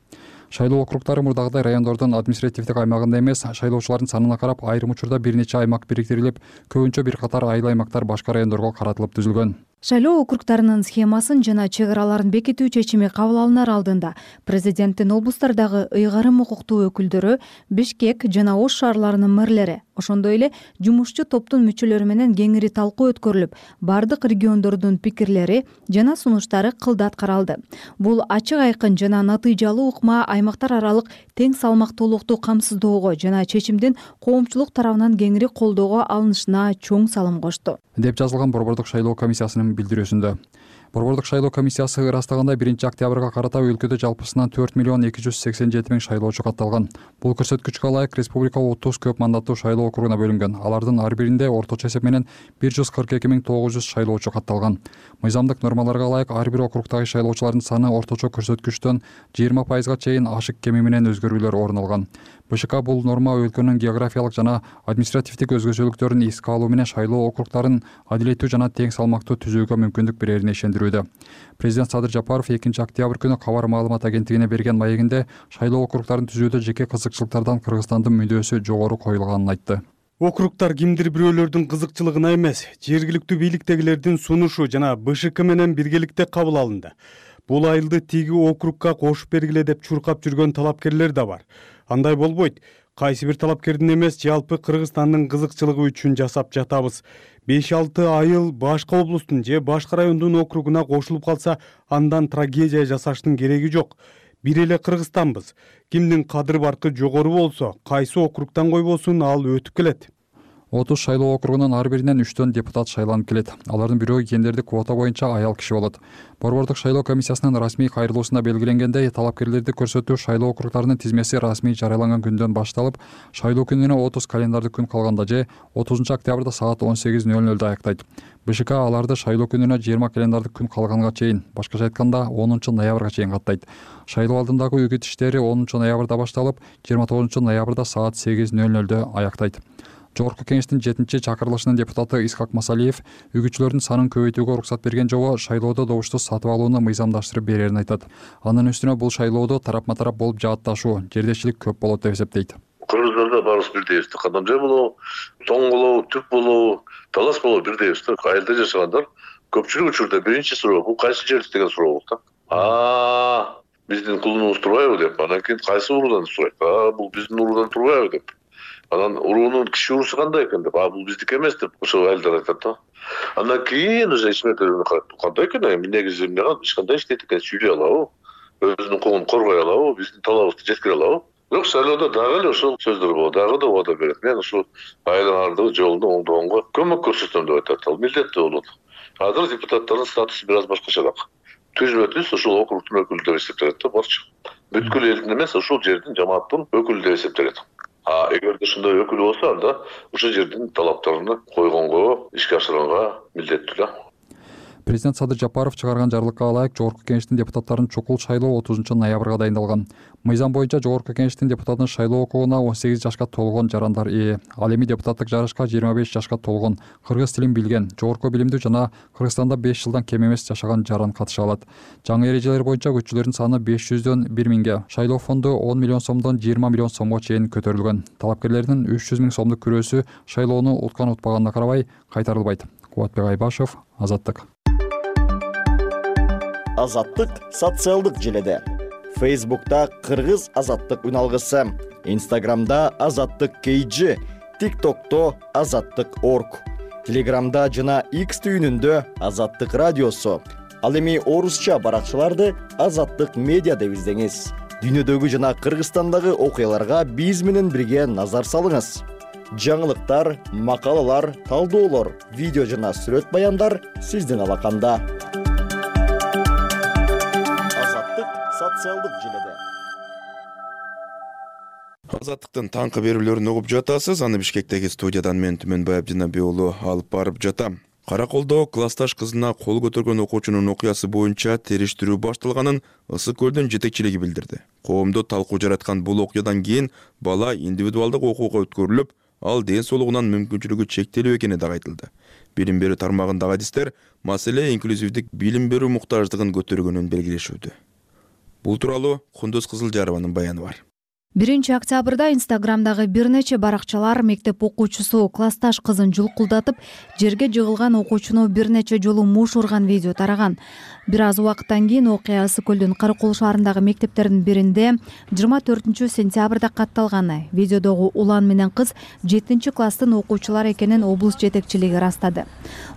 Шайлоо округдары мурдагыдай райондордун административдик аймагында эмес, шайлоочулардын санына карап айрым учурда бир нече аймак бириктирилип, көбүнчө бир катар айыл аймактар башка райондорго каратылып түзүлгөн. Шайлоо округдарынын схемасын жана чек араларын бекитүү чечими кабыл алынар алдында президенттин облустардагы ыйгарым укуктуу өкүлдөрү, Бишкек жана Ош шаарларынын мэрлери, ошондой эле жумушчу топтун мүчөлөрү менен кеңири талкуу өткөрүлүп, бардык региондордун пикирлери жана сунуштары кылдат каралды. Бул ачык айкын жана натыйжалуу ыкма аймактар аралык тең салмактуулукту камсыздоого жана чечимдин коомчулук тарабынан кеңири колдоого алынышына чоң салым кошту, деп жазылган Борбордук шайлоо комиссиясынын билдирүүсүндө. Борбордук шайлоо комиссиясы ырастаганда биринчи октябрга карата өлкөдө жалпысынан төрт миллион эки жүз сексен жети миң шайлоочу катталган. Бул көрсөткүчкө ылайык республика отуз көп мандаттуу шайлоо округуна бөлүнгөн. Алардын ар биринде орточо эсеп менен бир жүз кырк эки миң тогуз жүз шайлоочу катталган. Мыйзамдык нормаларга ылайык ар бир округдагы шайлоочулардын саны орточо көрсөткүчтөн жыйырма пайызга чейин ашык кеми менен өзгөрүүлөр орун алган. БШК бул норма өлкөнүн географиялык жана административдик өзгөчөлүктөрүн эске алуу менен шайлоо округдарын адилеттүү жана тең салмактуу түзүүгө мүмкүндүк берерине ишендирүүдө. Президент Садыр Жапаров экинчи октябрь күнү кабар маалымат агенттигине берген маегинде шайлоо округдарын түзүүдө жеке кызыкчылыктардан Кыргызстандын мүдөөсү жогору коюлганын айтты. Округдар кимдир бирөөлөрдүн кызыкчылыгына эмес, жергиликтүү бийликтегилердин сунушу жана БШК менен биргеликте кабыл алынды. Бул айылды тиги округга кошуп бергиле деп чуркап жүргөн талапкерлер да бар. Андай болбойт. Кайсы бир талапкердин эмес, жалпы Кыргызстандын кызыкчылыгы үчүн жасап жатабыз. беш алты айыл башка облустун же башка райондун округуна кошулуп калса, андан трагедия жасаштын кереги жок. Бир эле Кыргызстанбыз. Кимдин кадыр баркы жогору болсо, кайсы округдан койбосун, ал өтүп келет. отуз шайлоо округунун ар биринен үчтөн депутат шайланып келет. Алардын бирөө кендердик квота боюнча аял киши болот. Борбордук шайлоо комиссиясынын расмий кайрылуусунда белгиленгендей, талапкерлерди көрсөтүү шайлоо округдарынын тизмеси расмий жарыяланган күндөн башталып, шайлоо күнүнө отуз календардык күн калганда же отузунчу октябрда саат он сегиз нөл нөлдө аяктайт. БШК аларды шайлоо күнүнө жыйырма календардык күн калганга чейин, башкача айтканда онунчу ноябрга чейин каттайт. Шайлоо алдындагы үгүт иштери онунчу ноябрда башталып, жыйырма тогузунчу ноябрда саат сегиз нөл нөлдө аяктайт. Жогорку кеңештин жетинчи чакырылышынын депутаты Исхак Масалиев үгүтчүлөрдүн санын көбөйтүүгө уруксат берген жобо шайлоодо добушту сатып алууну мыйзамдаштырып берерин айтат. Анын үстүнө бул шайлоодо тарапма тарап болуп жаатташуу, жердешчилик көп болот деп эсептейт. Кыргыздарда баарыбыз бирдейбиз. Кадамжай болобу, тоң болобу, түп болобу, талас болобу бирдейбиз. Айылда жашагандар көпчүлүк учурда биринчи суроо бул кайсы жер деген суроо болот да. А, биздин кулунубуз турбайбы деп, анан кийин кайсы уруудан сурайт. А, бул биздин уруудан турбайбы деп. Анан уруунун киши уруусу кандай экен деп, а бул биздики эмес деп ошол айылдар айтат да. Андан кийин уже ичмектерине карап, кандай экен, эми негизи эмне эч кандай иштейт экен, сүйлөй алабы, өзүнүн укугун коргой алабы, биздин талабыбызды жеткире алабы. Бирок шайлоодо дагы эле ошол сөздөр болот, дагы да убада берет. Мен ушул айылдардагы жолду оңдогонго көмөк көрсөтөм деп айтат. Ал милдеттүү болот. Азыр депутаттардын статусу бир аз башкачараак. Түзбө түз ушул округдун өкүлү деп эсептелет да, барчы. Бүткүл элдин эмес, ушул жердин жамааттын өкүлү деп эсептелет. А эгерде ушундай өкүл болсо, анда ушул жердин талаптарына койгонго, ишке ашырганга милдеттүү да. Президент Садыр Жапаров чыгарган жарлыкка ылайык Жогорку Кеңештин депутаттарын чукул шайлоо отузунчу ноябрга дайындалган. Мыйзам боюнча Жогорку Кеңештин депутатын шайлоо укугуна он сегиз жашка толгон жарандар ээ. Ал эми депутаттык жарышка жыйырма беш жашка толгон, кыргыз тилин билген, жогорку билимдүү жана Кыргызстанда беш жылдан кем эмес жашаган жаран катыша алат. Жаңы эрежелер боюнча күччүлөрдүн саны беш жүздөн бир миңге, шайлоо фонду он миллион сомдон жыйырма миллион сомго чейин көтөрүлгөн. Талапкерлердин үч жүз миң сомдук күрөөсү шайлоону уткан утпаганына карабай кайтарылбайт. Кубатбек Айбашев, Азаттык. Азаттык социалдык желеде. Фейсбукта Кыргыз Азаттык үналгысы, Инстаграмда Азаттык кей джи, ТикТокто Азаттык точка орг, Телеграмда жана X түйүнүндө Азаттык радиосу. Ал эми орусча баракчаларды Азаттык медиа деп издеңиз. Дүйнөдөгү жана Кыргызстандагы окуяларга биз менен бирге назар салыңыз. Жаңылыктар, макалалар, талдоолор, видео жана сүрөт баяндар сиздин алаканда. Азаттык социалдык желеде. Азаттыктын таңкы берүүлөрүн угуп жатасыз. Аны Бишкектеги студиядан мен Түмөнбай Абдинабек уулу алып барып жатам. Караколдо классташ кызына кол көтөргөн окуучунун окуясы боюнча териштирүү башталганын Ысык көлдүн жетекчилиги билдирди. Коомдо талкуу жараткан бул окуядан кийин бала индивидуалдык окууга өткөрүлүп, ал ден соолугунан мүмкүнчүлүгү чектелүү экени да айтылды. Билим берүү тармагындагы адистер маселе инклюзивдик билим берүү муктаждыгын көтөргөнүн белгилешүүдө. Бул тууралуу Кундуз Кызылжарованын баяны бар. биринчи октябрда Инстаграмдагы бир нече баракчалар мектеп окуучусу классташ кызын жулкулдатып, жерге жыгылган окуучуну бир нече жолу муш урган видео тараган. Бир аз убакыттан кийин окуя Ысык көлдүн Каракол шаарындагы мектептердин биринде жыйырма төртүнчү сентябрда катталган. Видеодогу улан менен кыз жетинчи класстын окуучулары экенин облус жетекчилиги ырастады.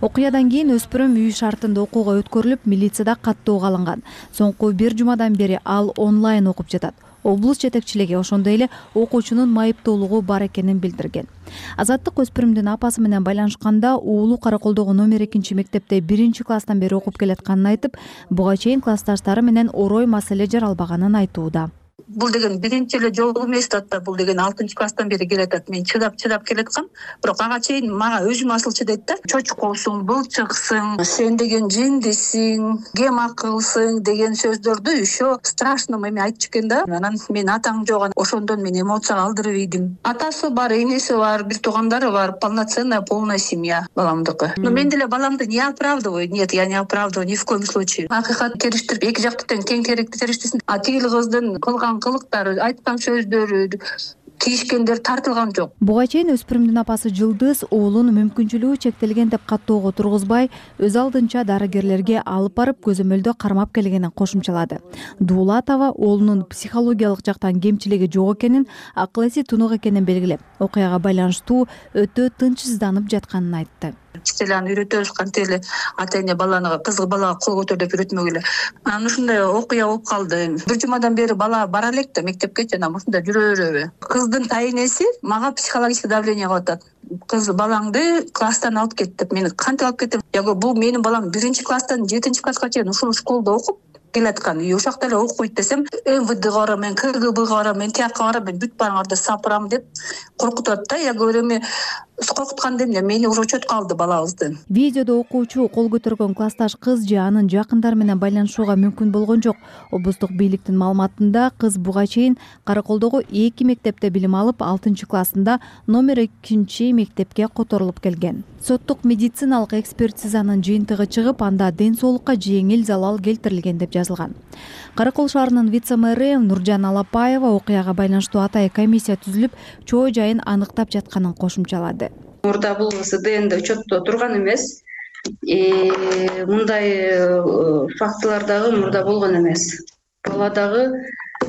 Окуядан кийин өспүрүм үй шартында окууга өткөрүлүп, милицияда каттоого алынган. Соңку бир жумадан бери ал онлайн окуп жатат. Облус жетекчилиги ошондой эле окуучунун майыптуулугу бар экенин билдирген. Азаттык өспүрүмдүн апасы менен байланышканда уулу Караколдогу номер экинчи мектепте биринчи класстан бери окуп келатканын айтып, буга чейин классташтары менен орой маселе жаралбаганын айтууда. Бул деген биринчи эле жолу эмес да, бул деген алтынчы класстан бери келатат. Мен чыдап чыдап келаткам, бирок ага чейин мага өзүм асылчы дейт да. Чочкосуң, былчыксың, сен деген жиндисиң, кем акылсың деген сөздөрдү еще страшно эме айтчу экен да. Анан мен атаң жок, ошондон мен эмоцияга алдырып ийдим. Атасы бар, энеси бар, бир туугандары бар, полноценная полная семья баламдыкы. Но мен деле баламды не оправдываю. Нет, я не оправдываю ни в коем случае. Акыйкат териштирип, эки жакты тең тең керекти териштирсин. А тигил кыздын кылган кылыктары, айткан сөздөрү, тийишкендер тартылган жок. Буга чейин өспүрүмдүн апасы Жылдыз уулун мүмкүнчүлүгү чектелген деп каттоого тургузбай, өз алдынча дарыгерлерге алып барып көзөмөлдө кармап келгенин кошумчалады. Дуулатова уулунун психологиялык жактан кемчилиги жок экенин, акыл эси тунук экенин белгилеп, окуяга байланыштуу өтө тынчсызданып жатканын айтты. Стеланы үйрөтөбүз, кантип эле ата эне баланы, кызы балага кол көтөр деп үйрөтмөгүлө. Анан ушундай окуя болуп калды. Бир жумадан бери бала бара элек да мектепке, жана ушундай жүрө береби. Кыздын тайнеси мага психологический давление кылып атат. Кыз балаңды класстан алып кет деп. Мени кантип алып кетем? Я говорю, бул менин балам биринчи класстан жетинчи класска чейин ушул школдо окуп келаткан. Ошол жакта эле окуйт десем, эм вэ дэга барам, мен ка гэ бэ га барам, мен тияка барам, мен бүт барыңарды сапырам деп коркутат да. Я говорю, эми коркутканда эмне, мени уже учетко алды балабызды. Видеодо окуучу кол көтөргөн классташ кыз же анын жакындары менен байланышууга мүмкүн болгон жок. Облустук бийликтин маалыматында кыз буга чейин Караколдогу эки мектепте билим алып, алтынчы классында номер экинчи мектепке которулуп келген. Соттук медициналык экспертизанын жыйынтыгы чыгып, анда ден соолукка жеңил залал келтирилген деп жазылган. Каракол шаарынын вице-мэри Нуржан Алапаева окуяга байланыштуу атайын комиссия түзүлүп, чоо жайын аныктап жатканын кошумчалады. Мурда бул С Д Н'де учетто турган эмес. Мындай фактылар дагы мурда болгон эмес. Бала дагы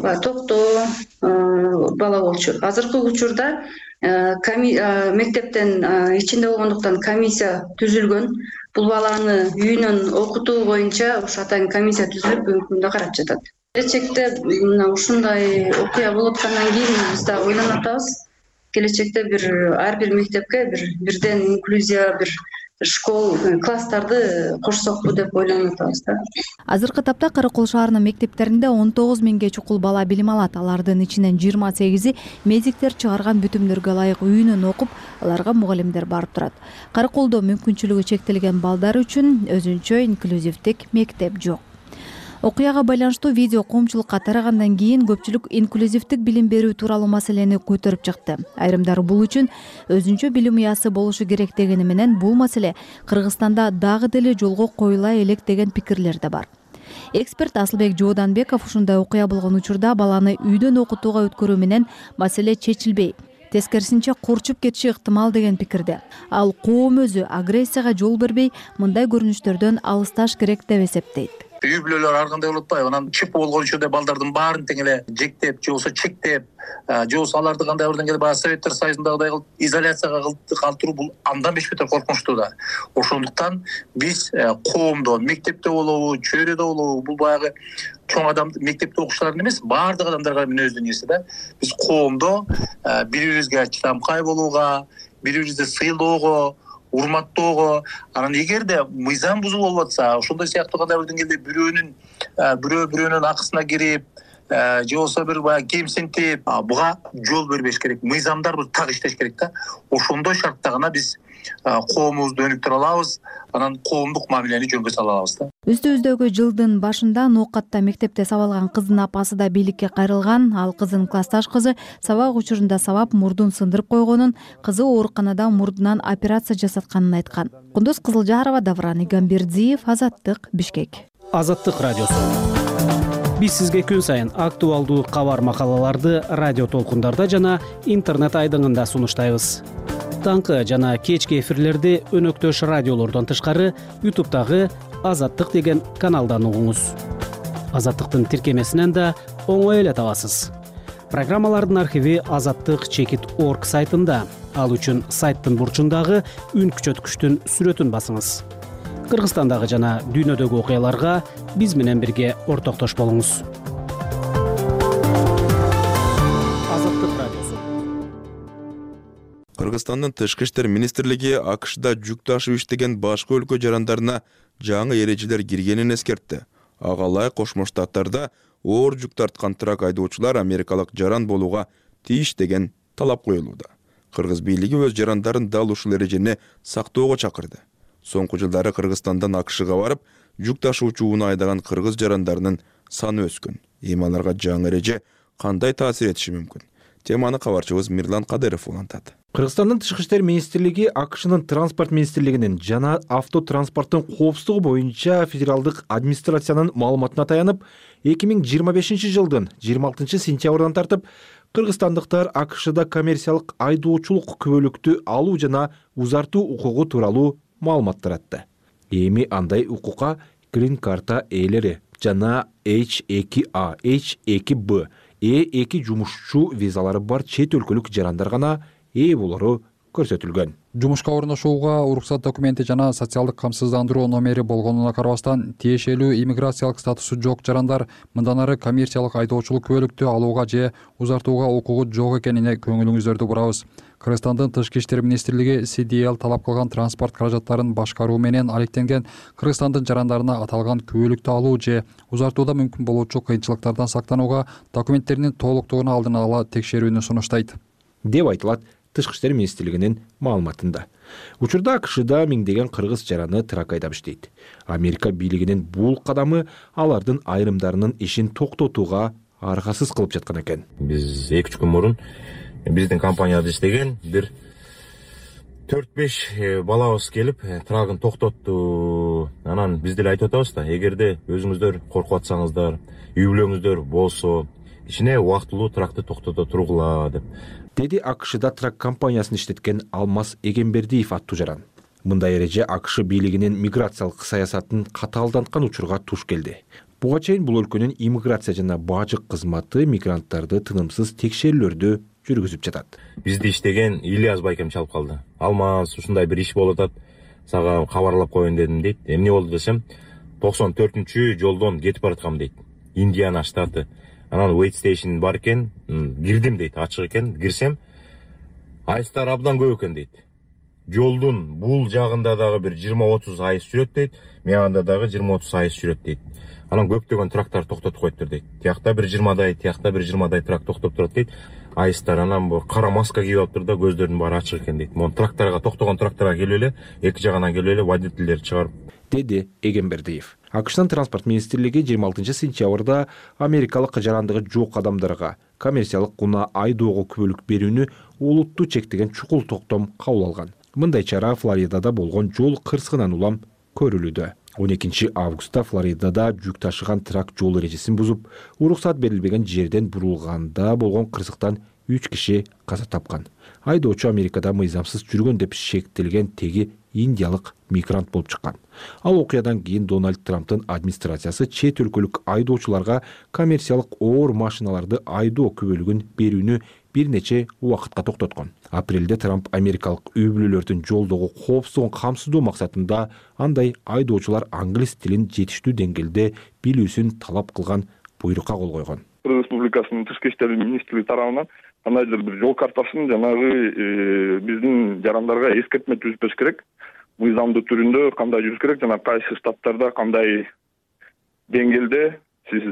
токтоо бала болчу. Азыркы учурда мектептен ичинде болгондуктан комиссия түзүлгөн. Бул баланы үйүнөн окутуу боюнча ушу атайын комиссия түзүлүп, өкмүндө карап жатат. Келечекте мына ушундай окуя болуп аткандан кийин биз да ойлонуп атабыз. Келечекте бир ар бир мектепке бир бирден инклюзия, бир школ класстарды кошсокпу деп ойлонуп атабыз да. Азыркы тапта Каракол шаарынын мектептеринде он тогуз миңге чукул бала билим алат. Алардын ичинен жыйырма сегизи медиктер чыгарган бүтүмдөргө ылайык үйүнөн окуп, аларга мугалимдер барып турат. Караколдо мүмкүнчүлүгү чектелген балдар үчүн өзүнчө инклюзивдик мектеп жок. Окуяга байланыштуу видео коомчулукка тарагандан кийин көпчүлүк инклюзивдик билим берүү тууралуу маселени көтөрүп чыкты. Айрымдар бул үчүн өзүнчө билим уясы болушу керек дегени менен бул маселе Кыргызстанда дагы деле жолго коюла элек деген пикирлер да бар. Эксперт Асылбек Жооданбеков ушундай окуя болгон учурда баланы үйдөн окутууга өткөрүү менен маселе чечилбей, тескерисинче курчуп кетиши ыктымал деген пикирде. Ал коом өзү агрессияга жол бербей, мындай көрүнүштөрдөн алысташ керек деп эсептейт. Үй бүлөлөр ар кандай болуп атпайбы? Анан чип болгон учурда балдардын баарын тең эле жектеп, же болбосо чектеп, же болбосо аларды кандай бирден келип баягы Советтер Союзундагыдай кылып изоляцияга калтыруу бул андан беш бетер коркунучтуу да. Ошондуктан биз коомдо, мектепте болобу, чөйрөдө болобу, бул баягы чоң адам мектепте окуучулардын эмес, баардык адамдарга мүнөздүү нерсе да. Биз коомдо бири-бирибизге чыдамкай болууга, бири-бирибизди сыйлоого, урматтоого, анан эгерде мыйзам бузулуп болуп атса, ошондой сыяктуу кандай бир деңгээлде бирөөнүн бирөө бирөөнүн акысына кирип, же болбосо бир баягы кемсинтип, буга жол бербеш керек. Мыйзамдар бир так иштеш керек да. Ошондой шартта гана биз коомубузду өнүктүрө алабыз, анан коомдук мамилени жөнгө сала алабыз да. Үстүбүздөгү жылдын башында Ноокатта мектепте сабалган кыздын апасы да бийликке кайрылган. Ал кызын классташ кызы сабак учурунда сабап мурдун сындырып койгонун, кызы ооруканада мурдунан операция жасатканын айткан. Кундуз Кызылжарова, Давран Игамбердиев, Азаттык, Бишкек. Азаттык радиосу. Биз сизге күн сайын актуалдуу кабар макалаларды радио толкундарда жана интернет айдыңында сунуштайбыз. Таңкы жана кечки эфирлерди өнөктөш радиолордон тышкары ютубтагы Азаттык деген каналдан угуңуз. Азаттыктын тиркемесинен да оңой эле табасыз. Программалардын архиви азаттык чекит точка орг сайтында. Ал үчүн сайттын бурчундагы үн күчөткүчтүн сүрөтүн басыңыз. Кыргызстандагы жана дүйнөдөгү окуяларга биз менен бирге ортоктош болуңуз. Кыргызстандын Тышкы иштер министрлиги АКШда жүк ташып иштеген башка өлкө жарандарына жаңы эрежелер киргенин эскертти. Ага ылайык Кошмо Штаттарда оор жүк тарткан трак айдоочулар америкалык жаран болууга тийиш деген талап коюлууда. Кыргыз бийлиги өз жарандарын дал ушул эрежени сактоого чакырды. Соңку жылдары Кыргызстандан АКШга барып, жүк ташуучу унаа айдаган кыргыз жарандарынын саны өскөн. Эми аларга жаңы эреже кандай таасир этиши мүмкүн? Теманы кабарчыбыз Мирлан Кадыров улантат. Кыргызстандын Тышкы иштер министрлиги АКШнын транспорт министрлигинин жана автотранспорттун коопсуздугу боюнча федералдык администрациянын маалыматына таянып, эки миң жыйырма бешинчи жылдын жыйырма алтынчы сентябрдан тартып кыргызстандыктар АКШда коммерциялык айдоочулук күбөлүктү алуу жана узартуу укугу тууралуу маалымат таратты. Эми андай укукка грин карта ээлери жана эйч эки а, эйч эки бэ, э эки жумушчу визалары бар чет өлкөлүк жарандар гана ээ болору көрсөтүлгөн. Жумушка орношууга уруксат документи жана социалдык камсыздандыруу номери болгонуна карабастан, тиешелүү иммиграциялык статусу жок жарандар мындан ары коммерциялык айдоочулук күбөлүктү алууга же узартууга укугу жок экенине көңүлүңүздөрдү бурабыз. Кыргызстандын Тышкы иштер министрлиги си ди эл талап кылган транспорт каражаттарын башкаруу менен алектенген Кыргызстандын жарандарына аталган күбөлүктү алуу же узартууда мүмкүн болуучу кыйынчылыктардан сактанууга документтеринин толуктугун алдын ала текшерүүнү сунуштайт деп айтылат Тышкы иштер министрлигинин маалыматында. Учурда АКШда миңдеген кыргыз жараны трак айдап иштейт. Америка бийлигинин бул кадамы алардын айрымдарынын ишин токтотууга аргасыз кылып жаткан экен. Биз эки үч күн мурун биздин компанияда иштеген бир төрт беш балабыз келип трагын токтотту. Анан биз деле айтып атабыз да, эгерде өзүңүздөр коркуп атсаңыздар, үй бүлөңүздөр болсо, кичине убактылуу тракты токтото тургула деп. Деди АКШда трак компаниясын иштеткен Алмаз Эгембердиев аттуу жаран. Мындай эреже АКШ бийлигинин миграциялык саясатын катаалданткан учурга туш келди. Буга чейин бул өлкөнүн иммиграция жана бажык кызматы мигранттарды тынымсыз текшерүүлөрдү жүргүзүп жатат. Бизди иштеген Ильяс байкем чалып калды. Алмаз, ушундай бир иш болуп атат, сага кабарлап коеюн дедим дейт. Эмне болду десем, токсон төртүнчү жолдон кетип бараткам дейт. Индиана штаты. Анан wait station бар экен, кирдим дейт, ачык экен, кирсем, айстар абдан көп экен дейт. жолдун бул жагында дагы бир жыйырма отуз айыс жүрөт дейт, мяганда дагы жыйырма отуз айыс жүрөт дейт. Анан көптөгөн трактор токтотуп коюптур дейт. Тиякта бир жыйырмадай, тиякта бир жыйырмадай трак токтоп турат дейт. Айыстар анан бу кара маска кийип алыптыр да, көздөрүнүн баары ачык экен дейт. Могу тракторго токтогон тракторго келип эле эки жагынан келип эле водительдер чыгарып, деди Эгембердиев. АКШтын транспорт министрлиги жыйырма алтынчы сентябрда америкалык жарандыгы жок адамдарга коммерциялык унаа айдоого күбөлүк берүүнү олуттуу чектеген чукул токтом кабыл алган. Мындай чара Флоридада болгон жол кырсыгынан улам көрүлүүдө. он экинчи августта Флоридада жүк ташыган трак жол эрежесин бузуп, уруксат берилбеген жерден бурулганда болгон кырсыктан үч киши каза тапкан. Айдоочу Америкада мыйзамсыз жүргөн деп шектелген теги индиялык мигрант болуп чыккан. Ал окуядан кийин Дональд Трамптын администрациясы чет өлкөлүк айдоочуларга коммерциялык оор машиналарды айдоо күбөлүгүн берүүнү бир нече убакытка токтоткон. Апрелде Трамп америкалык үй бүлөлөрдүн жолдогу коопсуздугун камсыздоо максатында андай айдоочулар англис тилин жетиштүү деңгээлде билүүсүн талап кылган буйрукка кол койгон. Кыргыз Республикасынын тышкы иштер министрлиги тарабынан кандайдыр бир жол картасын жанагы биздин жарандарга эскертме түзүп керек. Мыйзамдуу түрүндө кандай жүрүш керек жана кайсы штаттарда кандай деңгээлде сиз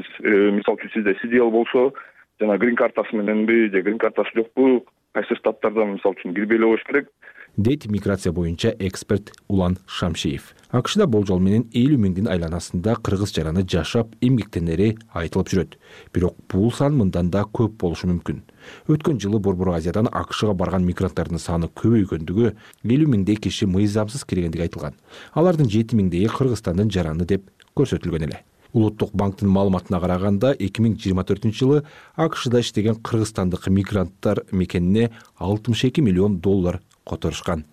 мисалы үчүн сизде си ди эл болсо жана грин картасы мененби же грин картасы жокпу, кайсы штаттарда мисалы үчүн кирбей эле коюш керек, дейт миграция боюнча эксперт Улан Шамшиев. АКШда болжол менен элүү миңдин айланасында кыргыз жараны жашап, эмгектенери айтылып жүрөт. Бирок бул сан мындан да көп болушу мүмкүн. Өткөн жылы Борбор Азиядан АКШга барган мигранттардын саны көбөйгөндүгү, элүү миңдей киши мыйзамсыз киргендиги айтылган. Алардын жети миңдейи Кыргызстандын жараны деп көрсөтүлгөн эле. Улуттук банктын маалыматына караганда эки миң жыйырма төртүнчү жылы АКШда иштеген кыргызстандык мигранттар мекенине алтымыш эки миллион доллар которушкан.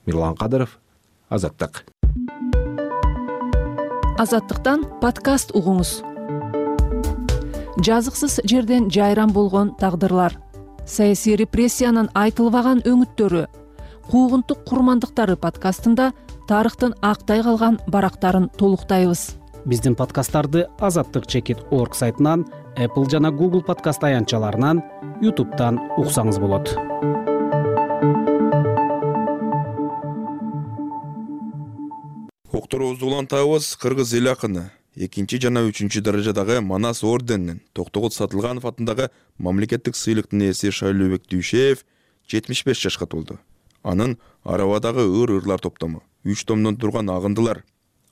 Мирлан Кадыров, Азаттык. Азаттыктан подкаст угуңуз. Жазыксыз жерден жайран болгон тагдырлар, саясий репрессиянын айтылбаган өңүттөрү, куугунтук курмандыктары подкастында тарыхтын актай калган барактарын толуктайбыз. Биздин подкасттарды азаттык чекит точка орг сайтынан, Apple жана Google подкаст аянтчаларынан, YouTube'дан уксаңыз болот. Окторубузду улантабыз. Кыргыз эл акыны экинчи жана үчүнчү даражадагы Манас орденинин Токтогул Сатылганов атындагы мамлекеттик сыйлыктын ээси Шайлообек Дүйшеев жетимиш беш жашка толду. Анын арабадагы ыр-ырлар топтому, үч томдон турган агындылар,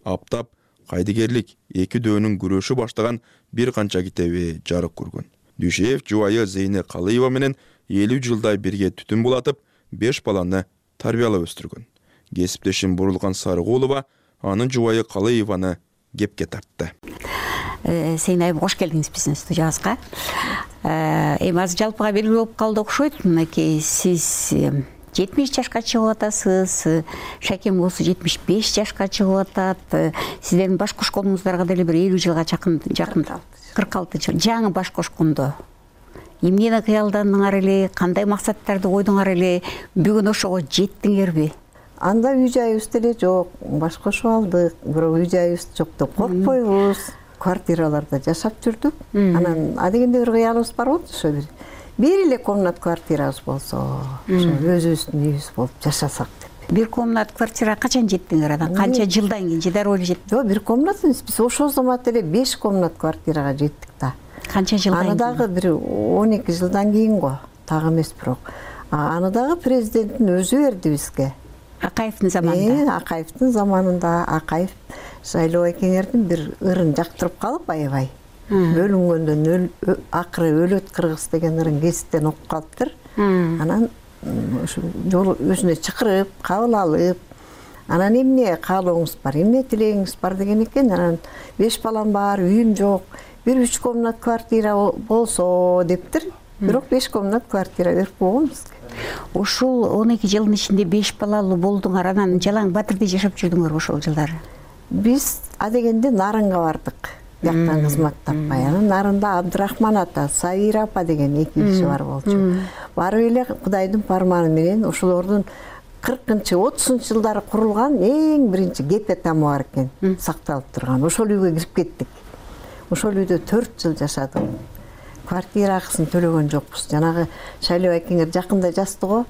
аптап, кайдыгерлик, эки дөөнүн күрөшү баштаган бир канча китеби жарык көргөн. Дүйшеев жубайы Зейне Калыева менен элүү жылдай бирге түтүн булатып, беш баланы тарбиялап өстүргөн. Кесиптешим Бурулган Сарыгулова анын жубайы Калыеваны кепке тартты. Сейн айым, кош келдиңиз биздин студиябызга. Эми азыр жалпыга белгилүү болуп калды окшойт. Мынакей сиз жетимиш жашка чыгып атасыз, Шакем болсо жетимиш беш жашка чыгып атат. Сиздердин баш кошконуңуздарга деле бир элүү жылга жакын жакын кырк алты жыл жаңы баш кошкондо эмнени кыялдандыңар эле, кандай максаттарды койдуңар эле, бүгүн ошого жеттиңерби? Анда үй жайыбыз деле жок, баш кошуп алдык, бирок үй жайыбыз жок деп коркпойбуз. Квартираларда жашап жүрдүк. Анан адегенде бир кыялыбыз бар болчу, ошо бир бир эле комнат квартирабыз болсо, ошо өзүбүздүн үйүбүз болуп жашасак деп. Бир комнат квартира качан жеттиңер анан? Канча жылдан кийин же дароо эле жеттиңер? Жок, бир комнат эмес, биз ошол замат эле беш комнат квартирага жеттик да. Канча жылдан кийин? Аны дагы бир он эки жылдан кийин го, так эмес бирок. Аны дагы президенттин өзү берди бизге. Акаевдин заманында. Акаевдин заманында Акаев Шайлоо Экеңердин бир ырын жактырып калып аябай. Бөлүнгөндөн акыры өлөт кыргыз деген ырын гезиттен окуп калыптыр. Анан ошо жол өзүнө чакырып, кабыл алып, анан эмне каалооңуз бар, эмне тилегиңиз бар деген экен. Анан беш балам бар, үйүм жок, бир үч комнат квартира болсо дептир. Бирок беш комнат квартира берип койгон бизге. Ошол он эки жылдын ичинде беш балалуу болдуңар, анан Жалаң Батырда жашап жүрдүңөрбү ошол жылдары? Биз адегенде Нарынга бардык. Бияктан кызмат таппай. Анан Нарында Абдырахман ата, Сабира апа деген эки киши бар болчу. Барып эле Кудайдын парманы менен ошолордун кыркынчы, отузунчу жылдары курулган эң биринчи гепе тамы бар экен, сакталып турган. Ошол үйгө кирип кеттик. Ошол үйдө төрт жыл жашадым. Квартира акысын төлөгөн жокпуз. Жанагы Шайлоо Экеңер жакында жазды го.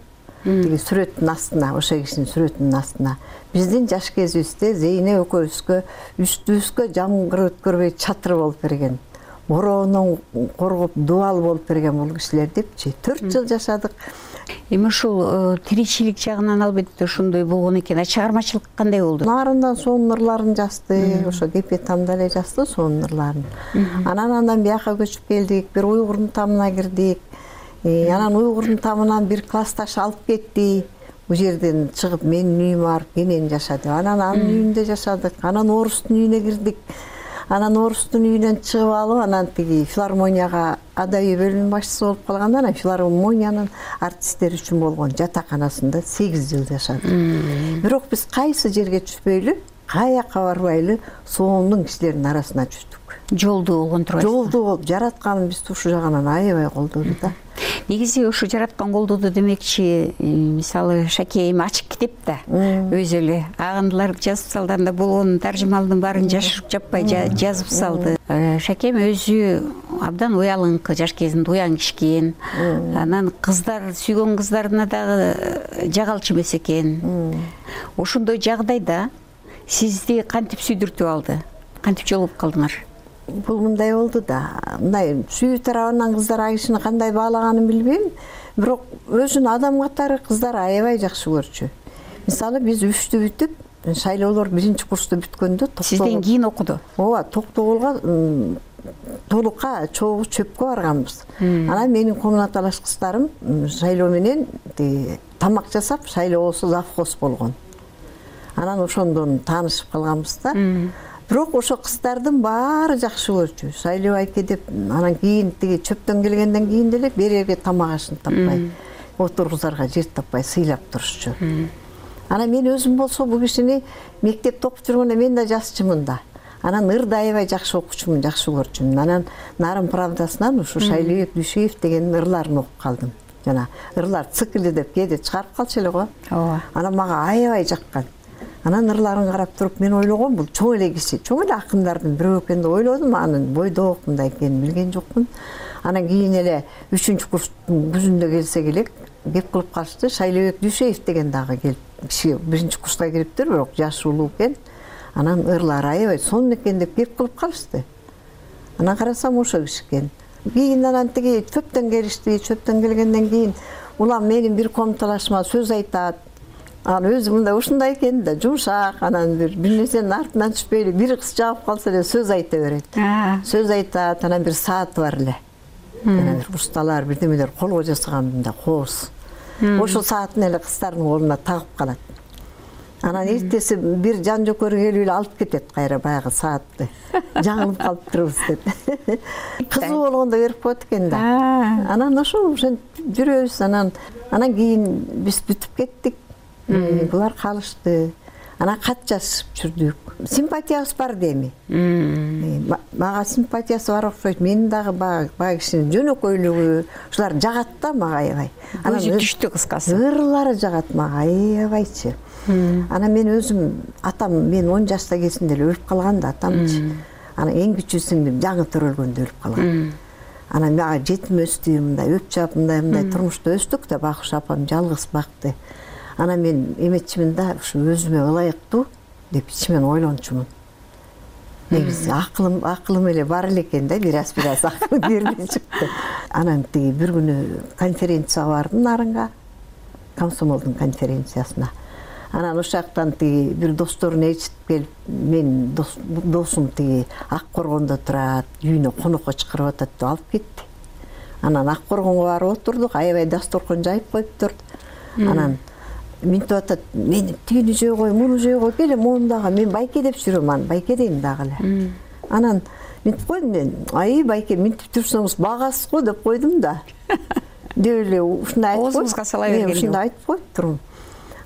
тиги сүрөттүн астына, ошо кишинин сүрөтүнүн астына биздин жаш кезибизде Зейне экөөбүзгө үстүбүзгө жамгыр өткөрбөй чатыр болуп берген, бороонон коргоп дубал болуп берген бул кишилер депчи төрт жыл жашадык. Эми ушул тиричилик жагынан албетте ошондой болгон экен. Чыгармачылык кандай болду? Нарындан сонун ырларын жазды, ошо Кепе тамда эле жазды сонун ырларын. Анан андан бияка көчүп келдик, бир уйгурдун тамына кирдик. Анан уйгурдун тамынан бир классташ алып кетти. Бул жерден чыгып менин үйүмө барып кенен жашады. Анан анын үйүндө жашадык. Анан орустун үйүнө кирдик. Анан орустун үйүнөн чыгып алып, анан тиги филармонияга адабий бөлүм башчысы болуп калганда, анан филармониянын артисттери үчүн болгон жатаканасында сегиз жыл жашадык. Бирок биз кайсы жерге түшпөйлү, каяка барбайлы соомдун кишилердин арасына жүрдүк. Жолдуу болгон турбайсызбы? Жолдуу болуп, жараткан бизди ушул жагынан аябай колдоду да. Негизи ушу жараткан колдоду демекчи, мисалы Шаке эми ачык китеп да, өзү эле агындылар жазып салганда болгон таржымалдын баарын жашырып жаппай жазып салды. Шакем өзү абдан уялыңкы, жаш кезинде уяң киши экен. Анан кыздар, сүйгөн кыздарына дагы жагалчу эмес экен. Ошондой жагдайда сизди кантип сүйдүртүп алды? Кантип жолугуп калдыңар? Бул мындай болду да, мындай сүйүү тарабынан кыздар а кишини кандай баалаганын билбейм, бирок өзүн адам катары кыздар аябай жакшы көрчү. Мисалы биз үчтү бүтүп, шайлоолор биринчи курсту бүткөндө сизден кийин окуду. Ооба, Токтогулга толукка чогуу чөпкө барганбыз. Анан менин комнаталаш кыздарым шайлоо менен тамак жасап, шайлоосу завхоз болгон. Анан ошондон таанышып калганбыз да. Бирок ошо кыздардын баары жакшы көрчү. Шайлоо айке деп, анан кийин тиги чөптөн келгенден кийин деле берерге тамак ашын таппай, отургузарга жер таппай сыйлап турушчу. Анан мен өзүм болсо бул кишини мектепте окуп жүргөндө мен да жасчымын да. Анан ырды аябай жакшы окучумун, жакшы көрчүмүн. Анан Нарын правдасынан ушу Шайлообек Дүйшеев деген ырларын окуп калдым. Жана ырлар циклы деп кээде чыгарып калчу эле го. Ооба. Анан мага аябай жаккан. Анан ырларын карап туруп мен ойлогом, бул чоң эле киши, чоң эле акындардын бирөө экен деп ойлодум. Анын бойдок мындай экенин билген жокмун. Анан кийин эле үчүнчү курстун күзүндө келсе келек кеп кылып калышты. Шайлообек Дүйшеев деген дагы келип, киши биринчи курска кириптир, бирок жашы улуу экен. Анан ырлары аябай сонун экен деп кеп кылып калышты. Анан карасам ошо киши экен. Кийин анан тиги чөптөн келишти, чөптөн келгенден кийин улам менин бир комнаталашыма сөз айтат. Анан өзү мындай ушундай экен да, жумшак, анан бир бир нерсенин артынан түшпөйлү, бир кыз жагып калса эле сөз айта берет. Сөз айтат, анан бир сааты бар эле. Анан бир усталар, бирдемелер колго жасаган мындай кооз. Ошол саатын эле кыздардын колуна тагып калат. Анан эртеси бир жан жокөр келип эле алып кетет кайра баягы саатты. Жаңылып калыптырбыз деп. Кызы болгондо берип коет экен да. Анан ошол ошентип жүрөбүз. Анан анан кийин биз бүтүп кеттик. Булар калышты. Анан кат жазышып жүрдүк. Симпатиябыз бар деми. Мага симпатиясы бар окшойт. Менин дагы баягы кишинин жөнөкөйлүгү, ушулар жагат да мага аябай. Өзү түштү кыскасы. Ырлары жагат мага аябайчы. Анан мен өзүм атам, мен он жашта кезинде эле өлүп калган да атамчы. Анан эң кичүү сиңдим жаңы төрөлгөндө өлүп калган. Анан мага жетим өстү, мындай өп чап, мындай мындай турмушта өстүк да, Бакуш апам жалгыз бакты. Анан мен эметчимин да, ушу өзүмө ылайыктуу деп ичимен ойлончумун. Негизи акылым, акылым эле бар эле экен да, бир аз бир аз акыл берилип чыкты. Анан тиги бир күнү конференцияга бардым Нарынга, комсомолдун конференциясына. Анан ошол жактан тиги бир досторун ээрчитип келип, мен досум тиги Ак Коргондо турат, үйүнө конокко чакырып атат деп алып кетти. Анан Ак Коргонго барып отурдук, аябай дасторкон жайып коюптур. Анан минтип атат, мен тигини жөө кой, муну жөө кой, келе моундагы, мен Байке деп жүрөм, анан Байке дейм дагы эле. Анан минтип койдум мен, ай Байке минтип жүрсөңүз багасыз го деп койдум да. Деп эле ушундай айтып оозуңузга сала берген. Ушундай айтып коюптурмун.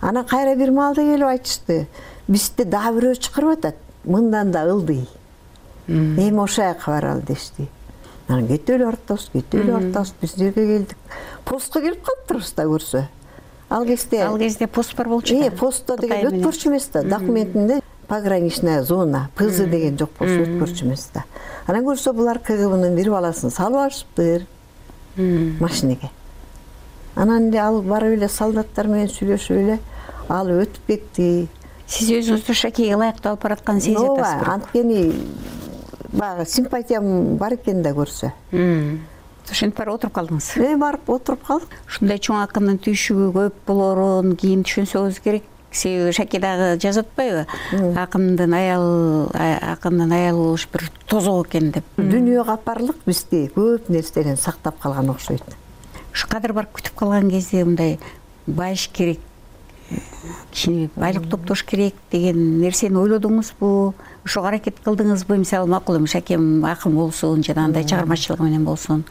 Анан кайра бир маалда келип айтышты. Бизде дагы бирөө чакырып атат. Мындан да ылдый. Эми ошол жака баралы дешти. Анан кетип эле бартабыз, кетип эле бартабыз. Биз жерге келдик. Постко келип калыптырбыз да көрсө. Ал кезде Ал кезде пост бар болчу. Э, постто деген өткөрчү эмес да. Документинде пограничная зона, ПЗ деген жок болсо өткөрчү эмес да. Анан көрсө булар КГБнын бир баласын салып алышыптыр машинеге. анан эле ал барып эле солдаттар менен сүйлөшүп эле ал өтүп кетти. Сиз өзүңүздү Шакейге ылайыктуу алып баратканын сезип атасызбы? Ооба, анткени баягы симпатиям бар экен да көрсө. Ошентип барып отуруп калдыңыз. Э, барып отуруп калдык. Ушундай чоң акындын түйшүгү көп болоорун кийин түшүнсөңүз керек. Себеби Шаке дагы жазып атпайбы? Акындын аялы, акындын аялы болуш бир тозок экен деп. Дүйнөгө капарлык бизди көп нерседен сактап калган окшойт. Ушу кадыр барып күтүп калган кезде мындай байыш керек, кичине байлык топтош керек деген нерсени ойлодуңузбу? Ошого аракет кылдыңызбы? Мисалы макул эми Шакем акын болсун, жанагындай чыгармачылыгы менен болсун.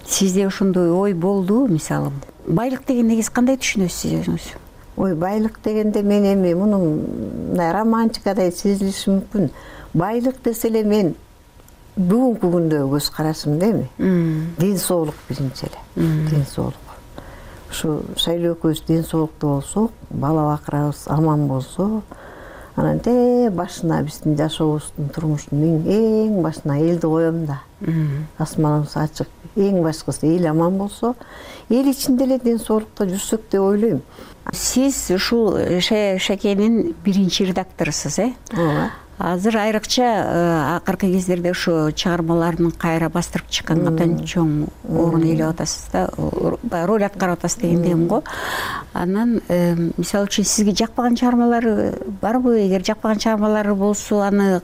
Сизде ошондой ой болдубу? Мисалы байлык деген негиз кандай түшүнөсүз өзүңүз? Ой, байлык дегенде мен эми мунун мындай романтикадай сезилиши мүмкүн. Байлык десе эле мен бүгүнкү күндөгү көз карашымда эми ден соолук биринчи эле. Ден соолук. Ушу Шайлоо экөөбүз ден соолуктуу болсок, бала бакырабыз аман болсо, анан те башына биздин жашообуздун, турмуштун эң башына элди коем да. Асманыбыз ачык, эң башкысы эл аман болсо, эл ичинде эле ден соолукта жүрсөк деп ойлойм. Сиз ушул Шакенин биринчи редакторусуз, э? Ооба. Азыр айрыкча акыркы кездерде ушу чыгармаларын кайра бастырып чыкканга абдан чоң орун ээлеп атасыз да, роль аткарып атасыз дегендейм го. Анан мисалы үчүн сизге жакпаган чыгармалары барбы? Эгер жакпаган чыгармалары болсо, аны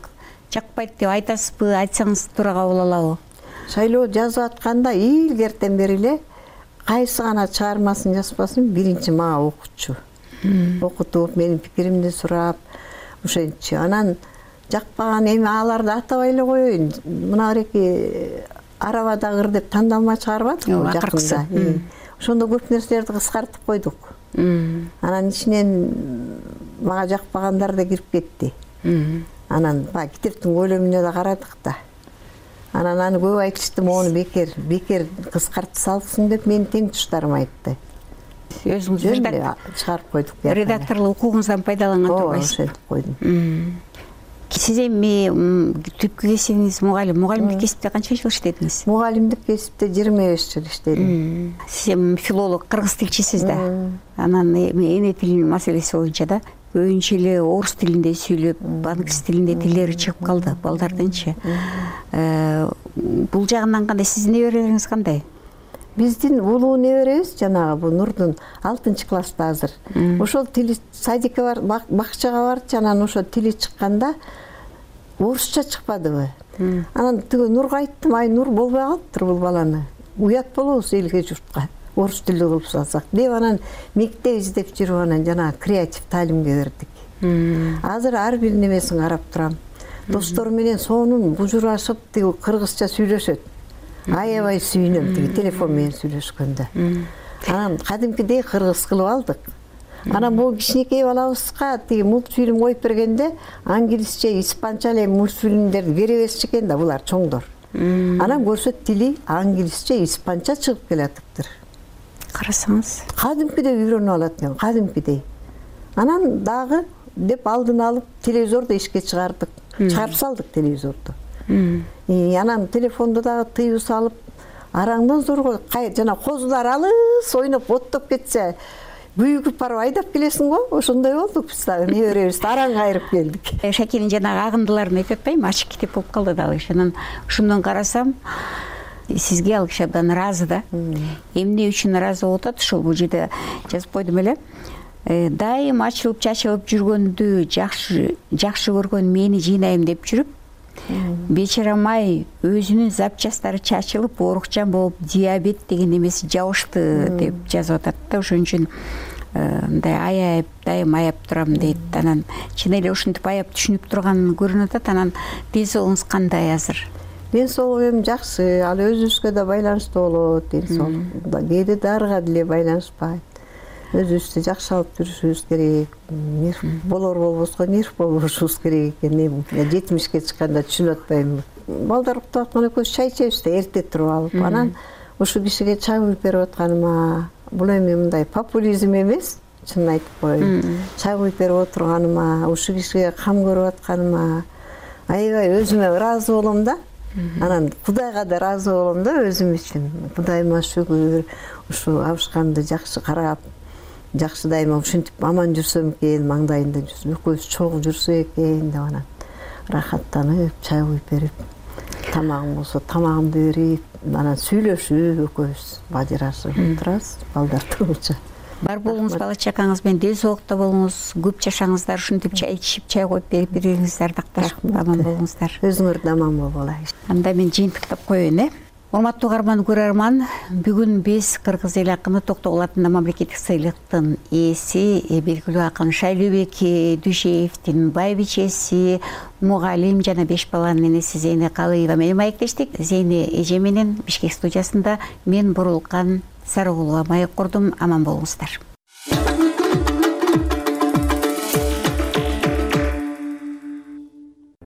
жакпайт деп айтасызбы? Айтсаңыз туура кабыл алабы? Шайлоо жазып атканда илгертен бери эле кайсы гана чыгармасын жазбасын биринчи мага окутчу. Окутуп, менин пикиримди сурап, ошентчи. Анан жакпаган эми аларды атабай эле коеюн. Мына эки арабадагыр деп тандалма чыгарбадыкпы жакында. Ошондо көп нерселерди кыскартып койдук. Анан ичинен мага жакпагандар да кирип кетти. Анан баягы китептин көлөмүнө да карадык да. Анан аны көп айтышты, мону бекер, бекер кыскартып салыпсың деп мени тең туштарым айтты. Өзүңүз чыгарып койдук. Редакторлук укугуңуздан пайдаланган турбайсыз? Ошентип койдум. Сиз эми түпкү кесибиңиз мугалим. Мугалимдик кесипте канча жыл иштедиңиз? Мугалимдик кесипте жыйырма беш жыл иштедим. Сиз эми филолог, кыргыз тилчисиз да. Анан эми эне тилинин маселеси боюнча да көбүнчө эле орус тилинде сүйлөп, англис тилинде тилдери чыгып калды балдардынчы. Бул жагынан кандай? Сиздин неберелериңиз кандай? Биздин улуу неберебиз жанагы бу Нурдун алтынчы класста азыр. Ошол тили садикке бар, бакчага барды, анан ошо тили чыкканда орусча чыкпадыбы. Анан тиги Нурга айттым, ай Нур болбой калыптыр бул баланы. Уят болобуз элге журтка. Орус тилдүү кылып салсак деп анан мектеп издеп жүрүп анан жанагы креатив таалимге бердик. Азыр ар бир немесин карап турам. Достору менен сонун бужурашып тиги кыргызча сүйлөшөт. Аябай сүйүнөм тиги телефон менен сүйлөшкөндө. Анан кадимкидей кыргыз кылып алдык. Анан бул кичинекей балабызга тиги мультфильм коюп бергенде англисче, испанча эле мультфильмдерди бере беришчү экен да булар чоңдор. Анан көрсөт тили англисче, испанча чыгып келатыптыр. Карасаңыз, кадимкидей үйрөнүп алат экен, кадимкидей. Анан дагы деп алдын алып телевизорду ишке чыгардык. Чыгарып салдык телевизорду. Анан телефонду дагы тыюу салып, араңдан зорго жана козулар алыс ойноп оттоп кетсе, күйүгүп барып айдап келесиң го, ошондой болдук биз дагы неберебизди араң кайрып келдик. Шакенин жанагы агындыларын айтып атпайбы, ачык китеп болуп калды дагы. Анан ошондон карасам, сизге ал киши абдан ыраазы да. Эмне үчүн ыраазы болуп атат, ошол бул жерде жазып койдум эле. Дайым ачылып чачылып жүргөндү жакшы жакшы көргөн мени жыйнайм деп жүрүп, бечарамай өзүнүн запчастары чачылып, оорукчан болуп, диабет деген эмеси жабышты деп жазып атат да. Ошон үчүн мындай аяп, дайым аяп турам дейт. Анан чын эле ушинтип аяп түшүнүп турган көрүнүп атат. Анан ден соолугуңуз кандай азыр? Ден соолугум жакшы, ал өзүбүзгө да байланыштуу болот, ден соолук. Кээде дарыга деле байланышпайт. Өзүбүздү жакшы алып жүрүшүбүз керек. Нерв болор болбоско нерв болбошубуз керек экен. жетимишке чыкканда түшүнүп атпайм. Балдар уктап аткан экөөбүз чай ичебиз да, эрте туруп алып. Анан ушу кишиге чай куюп берип атканыма, бул эми мындай популизм эмес, чынын айтып коеюн. Чай куюп берип отурганыма, ушу кишиге кам көрүп атканыма аябай өзүмө ыраазы болом да. анан Кудайга да ыраазы болом да өзүм үчүн. Кудайыма шүгүр, ушу абышканды жакшы карап, жакшы дайыма ушинтип аман жүрсөм экен, маңдайында жүрсөм, экөөбүз чогуу жүрсөк экен деп анан рахаттанып, чай куюп берип, тамагым болсо тамагымды берип, анан сүйлөшүп экөөбүз бажырашып турабыз балдар тургуча. Бар болуңуз, бала чакаңыз менен дел соолукта болуңуз, көп жашаңыздар, ушинтип чай ичип, чай коюп берип, бири-бириңиздерди такташып аман болуңуздар. Өзүңөр да аман болгула. Анда мен жыйынтыктап коеюн, э. Урматтуу угарман, көрөрман, бүгүн биз кыргыз эл акыны Токтогул атындагы мамлекеттик сыйлыктын ээси, белгилүү акын Шайлообек Дүйшеевдин байбичеси, мугалим жана беш баланын энеси Зейне Калыева менен маектештик. Зейне эже менен Бишкек студиясында мен Бурулкан Сарыгулова маек курдум. Аман болуңуздар.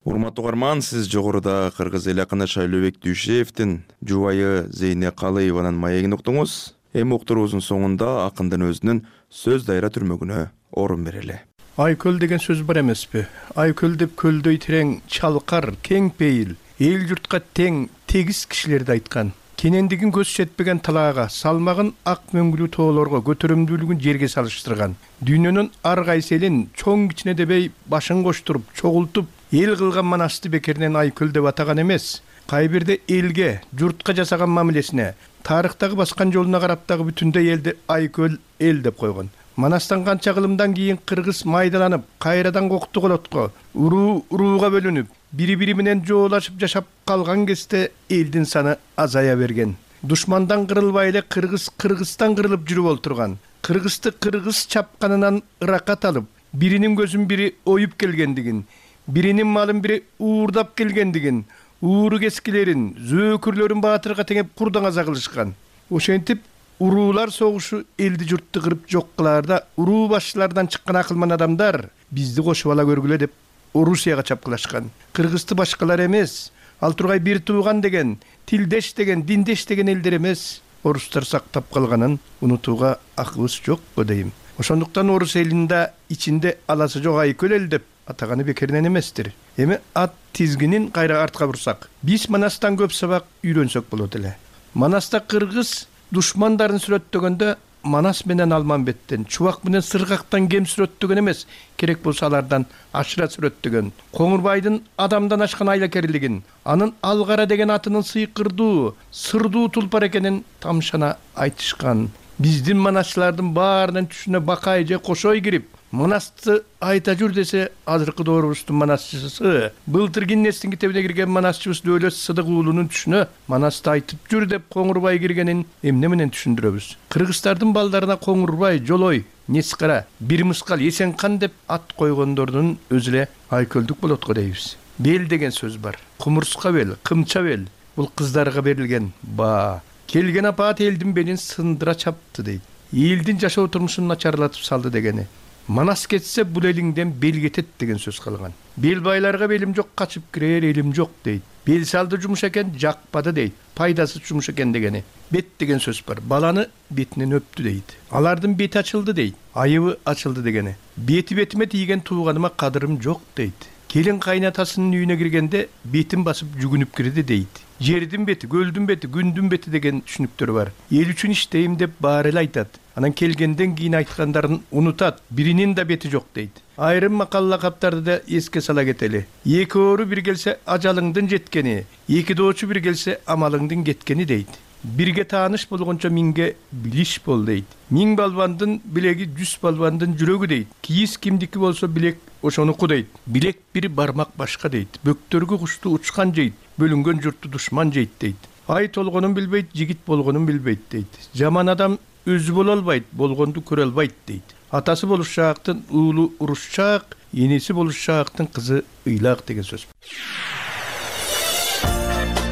Урматтуу угарман, сиз жогоруда кыргыз эл акыны Шайлообек Дүйшеевдин жубайы Зейне Калыеванын маегин уктуңуз. Эми уктуруубуздун соңунда акындын өзүнүн сөз дайра түрмөгүнө орун берели. Айкөл деген сөз бар эмеспи? Айкөл деп көлдөй терең, чалкар, кең пейил, эл журтка тең, тегиз кишилерди айткан. Кенендигин көз жетпеген талаага, салмагын ак мөңгүлүү тоолорго, көтөрүмдүүлүгүн жерге салыштырган. Дүйнөнүн ар кайсы элин чоң кичине дебей башын коштуруп, чогултуп, эл кылган манасты бекеринен Айкөл деп атаган эмес. Кай бирде элге, журтка жасаган мамилесине, тарыхтагы баскан жолуна карап дагы бүтүндөй элди Айкөл эл деп койгон. Манастан канча кылымдан кийин кыргыз майдаланып, кайрадан кокту колотко, уруу урууга бөлүнүп, бири-бири менен жоолашып жашап калган кезде элдин саны азая берген. Душмандан кырылбай эле кыргыз Кыргызстан кырылып жүрүп олтурган. Кыргызды кыргыз чапканынан ыракат алып, биринин көзүн бири оюп келгендигин, биринин малын бири уурдап келгендигин, ууру кескилерин, зөөкүрлөрүн баатырга теңеп курдан аза кылышкан. Ошентип уруулар согушу элди журтты кырып жок кылаарда уруу башчылардан чыккан акылман адамдар бизди кошуп ала көргүлө деп Орусияга чапкылашкан. Кыргызды башкалар эмес, ал тургай бир тууган деген, тилдеш деген, диндеш деген элдер эмес, орустар сактап калганын унутууга акыбыз жокпу дейм. Ошондуктан орус элинде ичинде аласы жок Айкөл эл деп атаганы бекеринен эместир. Эми ат тизгинин кайра артка бурсак, биз Манастан көп сабак үйрөнсөк болот эле. Манаста кыргыз душмандарын сүрөттөгөндө Манас менен Алманбеттен, Чубак менен Сыргактан кем сүрөттөгөн эмес, керек болсо алардан ашыра сүрөттөгөн. Коңурбайдын адамдан ашкан айлакерлигин, анын Алгара деген атынын сыйкырдуу, сырдуу тулпар экенин тамшана айтышкан. Биздин манасчылардын баарынын түшүнө Бакай же Кошой кирип, Манасты айта жүр десе, азыркы доорубуздун манасчысы, былтыр Гиннестин китебине кирген манасчыбыз Дөөлөт Сыдык уулунун түшүнө Манасты айтып жүр деп Коңурбай киргенин эмне менен түшүндүрөбүз? Кыргыздардын балдарына Коңурбай, Жолой, Нескара, Бир Мыскал, Эсенкан деп ат койгондордун өзү эле Айкөлдүк болот го дейбиз. Бел деген сөз бар. Кумурска бел, кымча бел. Бул кыздарга берилген баа. Келген апаат элдин белин сындыра чапты дейт. Элдин жашоо турмушун начарлатып салды дегени. Манас кетсе бул элиңден бел кетет деген сөз калган. Бел байларга белим жок, качып кирер элим жок дейт. Бел салды жумуш экен, жакпады дейт. Пайдасы жумуш экен дегени. Бет деген сөз бар. Баланы бетинен өптү дейт. Алардын бети ачылды дейт. Айыбы ачылды дегени. Бети бетиме тийген тууганыма кадырым жок дейт. Келин кайнатасынын үйүнө киргенде бетин басып жүгүнүп кирди дейт. Жердин бети, көлдүн бети, күндүн бети деген түшүнүктөр бар. Эл үчүн иштейм деп баары эле айтат. Анан келгенден кийин айткандарын унутат. Биринин да бети жок дейт. Айрым макал лакаптарды да эске сала кетели. Эки оору бир келсе ажалыңдын жеткени, эки доочу бир келсе амалыңдын кеткени дейт. Бирге тааныш болгончо миңге билиш бол дейт. Миң балбандын билеги жүз балбандын жүрөгү дейт. Кийиз кимдики болсо билек ошонуку дейт. Билек бир бармак башка дейт. Бөктөргү кушту учкан жейт. Бөлүнгөн журтту душман жейт дейт. Ай толгонун билбейт, жигит болгонун билбейт дейт. Жаман адам өзү боло албайт, болгонду көрө албайт дейт. Атасы болушаактын уулу урушчаак, энеси болушаактын кызы ыйлак деген сөз.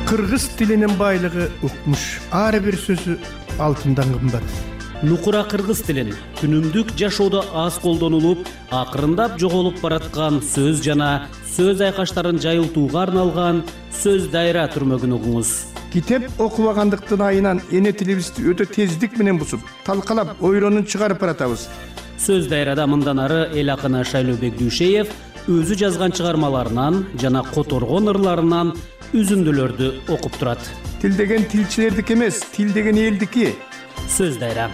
Кыргыз тилинин байлыгы укмуш. Ар бир сөзү алтындан кымбат. Нукура кыргыз тилин күнүмдүк жашоодо аз колдонулуп, акырындап жоголуп бараткан сөз жана сөз айкаштарын жайылтууга арналган сөз дайра түрмөгүн угуңуз. Китеп окубагандыктын айынан эне тилибизди өтө тездик менен бусуп, талкалап, ойронун чыгарып баратабыз. Сөз дайрада мындан ары эл акыны Шайлообек Дүйшеев өзү жазган чыгармаларынан жана которгон ырларынан үзүндүлөрдү окуп турат. Тил деген тилчилердики эмес, тил деген элдики. Сөз дайра.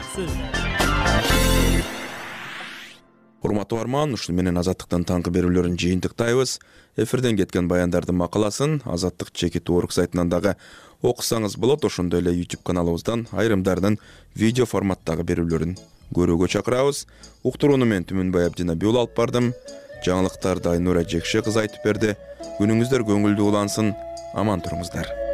Урматтуу арман, ушуну менен Азаттыктын таңкы берүүлөрүн жыйынтыктайбыз. Эфирден кеткен баяндардын макаласын Азаттык чекит орг сайтынан дагы окусаңыз болот. Ошондой эле YouTube каналыбыздан айрымдарынын видео форматтагы берүүлөрүн көрүүгө чакырабыз. Уктурууну мен Түмөнбай Абдинабиул алып бардым. Жаңылыктарды Айнура Жекше кызы айтып берди. Күнүңүздөр көңүлдүү улансын. Аман туруңуздар.